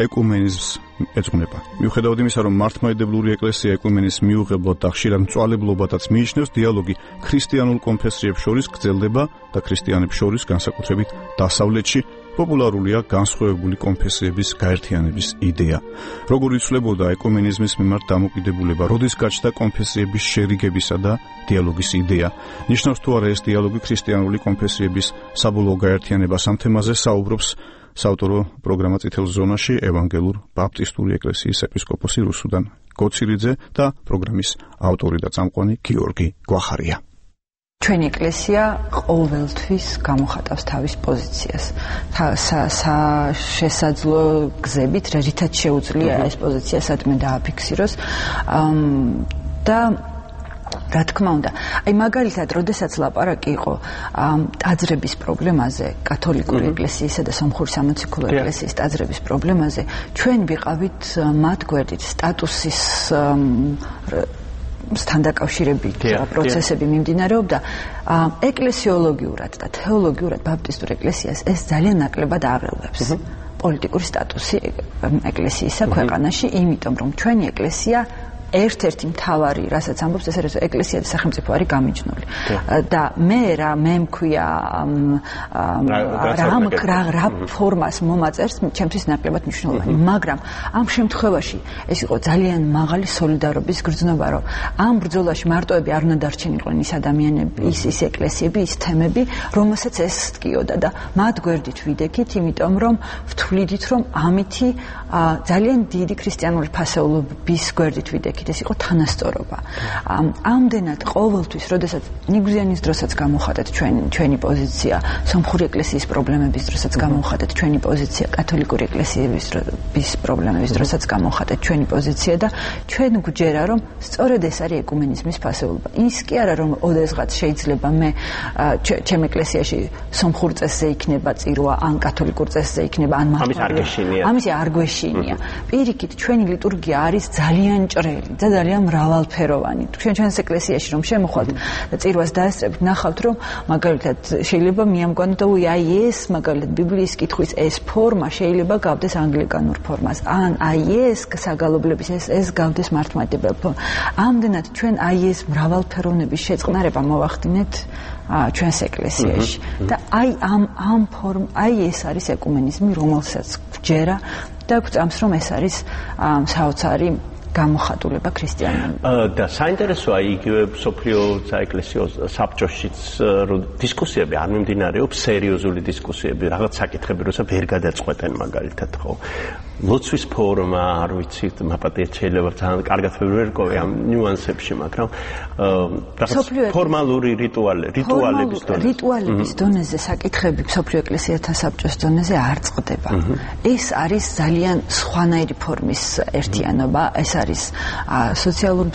ეკუმენიზმს ეძღვნება. მიუხედავად იმისა, რომ მართლმადიდებლური ეკლესია ეკუმენის მიუღებლად და ხშირად მწვალებლობათაც მიიჩნევს, დიალოგი ქრისტიანულ კონფესიებს შორის გრძელდება და ქრისტიანებს შორის, განსაკუთრებით დასავლეთში, პოპულარულია განსხვავებული კონფესიების გაერთიანების იდეა. როგორ იცვლებოდა ეკუმენიზმის მიმართ დამოკიდებულება, როდის გაჩნდა კონფესიების შერიგებისა და დიალოგის იდეა? ნიშნავს თუ არა ეს დიალოგი ქრისტიანული კონფესიების საბოლოო გაერთიანებას? ამ თემაზე საუბრობს საავტორო პროგრამა წითელ ზონაში ევანგელურ ბაპტისტური ეკლესიის ეპისკოპოსი რუსუდან გოცირიძე და პროგრამის ავტორი და წამყვანი გიორგი გვახარია. ჩვენი ეკლესია ყოველთვის გამოხატავს თავის პოზიციას. შესაძლო გზებით, რითაც შეუძლია ეს პოზიცია სადმე დააფიქსიროს და რა თქმა უნდა, აი მაგალითად, როდესაც ლაპარაკი იყო ტაძრების პრობლემაზე, კათოლიკური ეკლესიისა და სომხური სამოციქულო ეკლესიის ტაძრების პრობლემაზე, ჩვენ ვიყავით მათ გვერდით სტატუსის სთან დაკავშირებით პროცესები მიმდინარეობდა. ეკლესიოლოგიურად და თეოლოგიურად ბაპტისტურ ეკლესიას ეს ძალიან ნაკლებად აღელვებს. პოლიტიკური სტატუსი ეკლესიისა ქვეყანაში, იმიტომ რომ ჩვენი ეკლესია ერთ-ერთი მთავარი, რასაც ამბობს, ეს არის ეკლესია და სახელმწიფო არის გამიჯნული. და მე რა მე მქვია რა რა ფორმას მომაწერს, ჩემთვის ნაკლებად მნიშვნელოვანი, მაგრამ ამ შემთხვევაში ეს იყო ძალიან მაღალი სოლიდარობის გრძნობა, რომ ამ ბრძოლაში მარტოები არ უნდა დარჩენილიყო ის ადამიანები, ის ის ეკლესიები, ის თემები, რომელსაც ეს სკიოდა და მათ გვერდით ვიდექით, იმიტომ რომ ვთვლიდით, რომ ამითი ძალიან დიდი ქრისტიანული ფასეულობის გვერდით ვიდექით, ეს იყო თანასწორობა. ამდენად ყოველთვის, როდესაც ნიგზიანის დროსაც გამოვხატეთ ჩვენ ჩვენი პოზიცია, სომხური ეკლესიის პრობლემების დროსაც გამოვხატეთ ჩვენი პოზიცია, კათოლიკური ეკლესიების პრობლემების დროსაც გამოვხატეთ ჩვენი პოზიცია და ჩვენ გვჯერა, რომ სწორედ ეს არის ეკუმენიზმის ფასეულობა. ის კი არა, რომ ოდესღაც შეიძლება მე ჩემ ეკლესიაში სომხურ წესზე იქნება წირვა, ან კათოლიკურ წესზე იქნება, ან ამის არ გეშინია. ამის არ გვეშინია. პირიქით, ჩვენი ლიტურგია არის ძალიან ჭრელი და ძალიან მრავალფეროვანი. ჩვენ ჩვენს ეკლესიაში რომ შემოხვდეთ და წირვას დაესწრებით, ნახავთ, რომ მაგალითად შეიძლება მიამგონოთ, ой, აი ეს მაგალითად ბიბლიის კითხვის ეს ფორმა შეიძლება გავდეს ანგლიკანურ ფორმას, ან აი ეს საგალობლების ეს ეს გავდეს მართლმადიდებელ ფორმას. ამდენად ჩვენ აი ეს მრავალფეროვნების შეწყნარება მოვახდინეთ ჩვენს ეკლესიაში და აი ამ ამ ფორმ აი ეს არის ეკუმენიზმი, რომელსაც ვჯერა და გვწამს, რომ ეს არის საოცარი გამოხატულება ქრისტიანობა. და საინტერესოა იგივე სოფლიო საეკლესიო საბჭოშიც დისკუსიები არ მიმდინარეობს, სერიოზული დისკუსიები, რაღაც საკითხები, როცა ვერ გადაწყვეტენ მაგალითად, ხო? ლოცვის ფორმა, არ ვიცი, მაპატიეთ შეიძლება ძალიან კარგად ვერ ვერკოვე ამ ნიუანსებში, მაგრამ რაღაც ფორმალური რიტუალი, რიტუალების დონეზე. რიტუალების დონეზე საკითხები სოფლიო ეკლესიათა საბჭოს დონეზე არ წყდება. ეს არის ძალიან სხვანაირი ფორმის ერთიანობა, ეს არის სოციალურ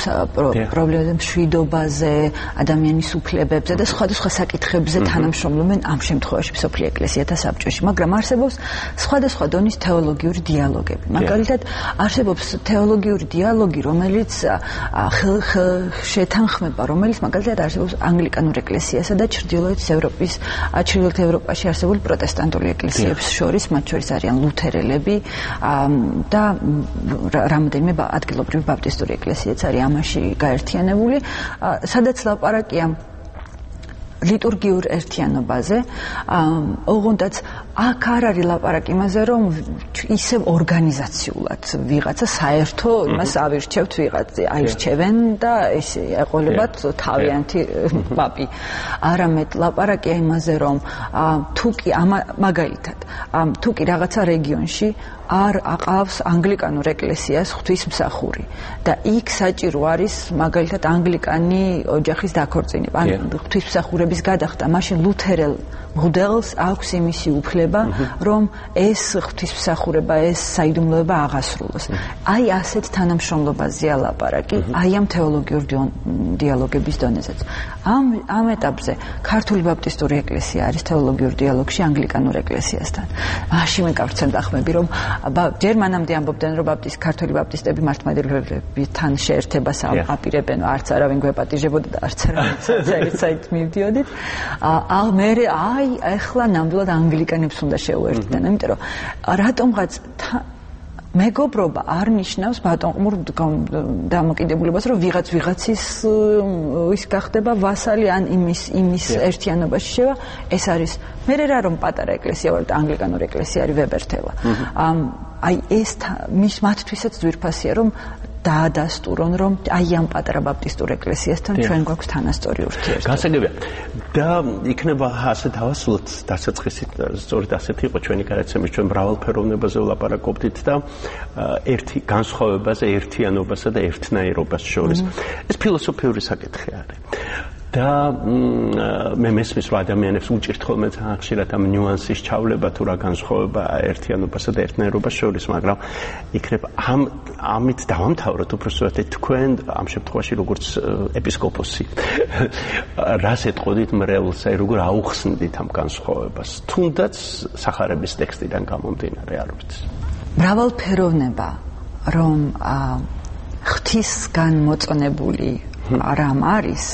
პრობლემებზე, მშვიდობაზე, ადამიანის უფლებებზე და სხვადასხვა საკითხებზე თანამშრომლობენ ამ შემთხვევაში სოფლიო ეკლესიათა საბჭოში, მაგრამ არსებობს სხვადასხვა დონის თეოლოგიური დიალოგი. მაგალითად, არსებობს თეოლოგიური დიალოგი, რომელიც შეთანხმება, რომელიც მაგალითად არსებობს ანგლიკანურ ეკლესიასა და ჩრდილოეთ ევროპის, ჩრდილოეთ ევროპაში არსებული პროტესტანტული ეკლესიებს შორის, მათ შორის არიან ლუთერელები და რამდენიმე ადგილობრივი ბაპტისტური ეკლესიაც არის ამაში გაერთიანებული, სადაც ლაპარაკია ლიტურგიურ ერთიანობაზე, ოღონდაც აქ არ არის ლაპარაკი იმაზე, რომ ისევ ორგანიზაციულად ვიღაცა საერთო იმას ავირჩევთ ვიღაცა, აირჩევენ და ეს ეყოლებათ თავიანთი პაპი. არამედ ლაპარაკია იმაზე, რომ თუ კი მაგალითად, თუ კი რაღაცა რეგიონში არ აყავს ანგლიკანურ ეკლესიას ღვთისმსახური და იქ საჭირო არის მაგალითად ანგლიკანი ოჯახის დაქორწინება, ან ღვთისმსახურების გადახდა, მაშინ ლუთერელ მღვდელს აქვს იმისი უფლება, რომ ეს ღვთისმსახურება, ეს საიდუმლოება აღასრულოს. აი ასეთ თანამშრომლობაზეა ლაპარაკი, აი ამ თეოლოგიურ დიალოგების დონეზეც. ამ ამ ეტაპზე ქართული ბაპტისტური ეკლესია არის თეოლოგიურ დიალოგში ანგლიკანურ ეკლესიასთან. მაშინ მე გავცემ დახმები, რომ ჯერ მანამდე ამბობდნენ, რომ ბაპტისტ ქართული ბაპტისტები მართლმადიდებლებთან შეერთებას აპირებენ, არც არავინ გვეპატიჟებოდა და არც არავინ საერთოდ მივდიოდით. ა მე აი ახლა ნამდვილად ანგლიკანებს უნდა შეუერთდნენ, იმიტომ რომ რატომღაც მეგობრობა არ ნიშნავს ბატონყმურ დამოკიდებულებას, რომ ვიღაც ვიღაცის ის გახდება ვასალი ან იმის იმის ერთიანობაში შევა. ეს არის მე რა რომ პატარა ეკლესია ვარ და ანგლიკანური ეკლესია არის ვებერთელა. აი ეს მის მათთვისაც ძვირფასია, რომ დაადასტურონ, რომ აი ამ პატარა ბაპტისტურ ეკლესიასთან ჩვენ გვაქვს თანასწორი ურთიერთობა. გასაგებია. და იქნება ასე დავასრულოთ დასაწყისით, სწორედ ასეთი იყო ჩვენი გადაცემა, ჩვენ მრავალფეროვნებაზე ვლაპარაკობდით და ერთი განსხვავებაზე, ერთიანობასა და ერთნაირობას შორის. ეს ფილოსოფიური საკითხი არის. და მე მესმის რომ ადამიანებს უჭირთ ხოლმე ძალიან ხშირად ამ ნიუანსის ჩავლება თუ რა განსხვავება ერთიანობასა და ერთნაირობას შორის, მაგრამ იქნება ამ ამით დავამთავროთ უბრალოდ თქვენ ამ შემთხვევაში როგორც ეპისკოპოსი რას ეტყოდით მრევლს, აი როგორ აუხსნდით ამ განსხვავებას, თუნდაც სახარების ტექსტიდან გამომდინარე, არ ვიცი. მრავალფეროვნება რომ ღვთისგან მოწონებული რამ არის,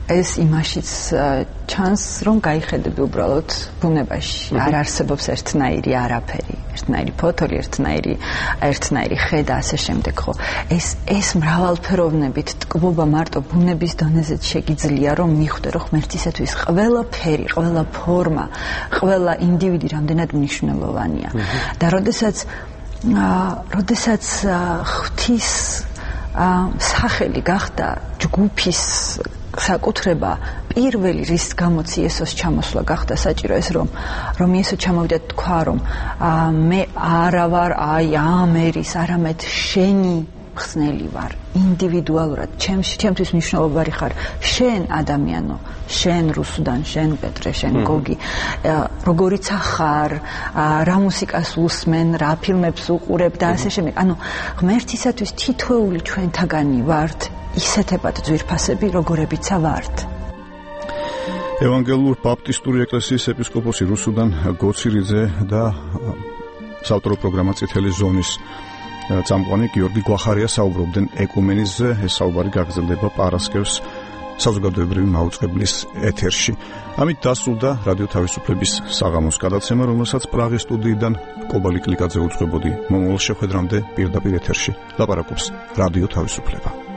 ეს იმაშიც ჩანს, რომ გაიხედები უბრალოდ ბუნებაში. არ არსებობს ერთნაირი არაფერი. ერთნაირი ფოთოლი, ერთნაირი ერთნაირი ხე და ასე შემდეგ, ხო? ეს ეს მრავალფეროვნებით ტკბობა მარტო ბუნების დონეზეც შეგიძლია, რომ მიხვდე, რომ ღმერთისათვის ყველა ფერი, ყველა ფორმა, ყველა ინდივიდი რამდენად მნიშვნელოვანია. და როდესაც როდესაც ღვთის სახელი გახდა ჯგუფის საკუთრება, პირველი რის გამოც იესოს ჩამოსვლა გახდა საჭირო ეს რომ რომ იესო ჩამოვიდა თქვა რომ მე არა ვარ აი ამ ერის, არამედ შენი ხსნელი ვარ, ინდივიდუალურად ჩემში, ჩემთვის მნიშვნელოვანი ხარ შენ ადამიანო, შენ რუსუდან, შენ პეტრე, შენ გოგი, როგორიც ახარ, რა მუსიკას უსმენ, რა ფილმებს უყურებ და ასე შემდეგ. ანუ ღმერთისათვის თითოეული ჩვენთაგანი ვართ ისეთებად ძვირფასები, როგორებიცა ვართ. ევანგელურ ბაპტისტური ეკლესიის ეპისკოპოსი რუსუდან გოცირიძე და საავტორო პროგრამა წითელი ზონის წამყვანი გიორგი გვახარია საუბრობდნენ ეკუმენიზმზე. ეს საუბარი გაგრძელდება პარასკევს საზოგადოებრივი მაუწყებლის ეთერში. ამით დასრულდა რადიო თავისუფლების საღამოს გადაცემა, რომელსაც პრაღის სტუდიიდან კობალი კლიკაძე უძღვებოდი. მომავალ შეხვედრამდე პირდაპირ ეთერში ლაპარაკობს რადიო თავისუფლება.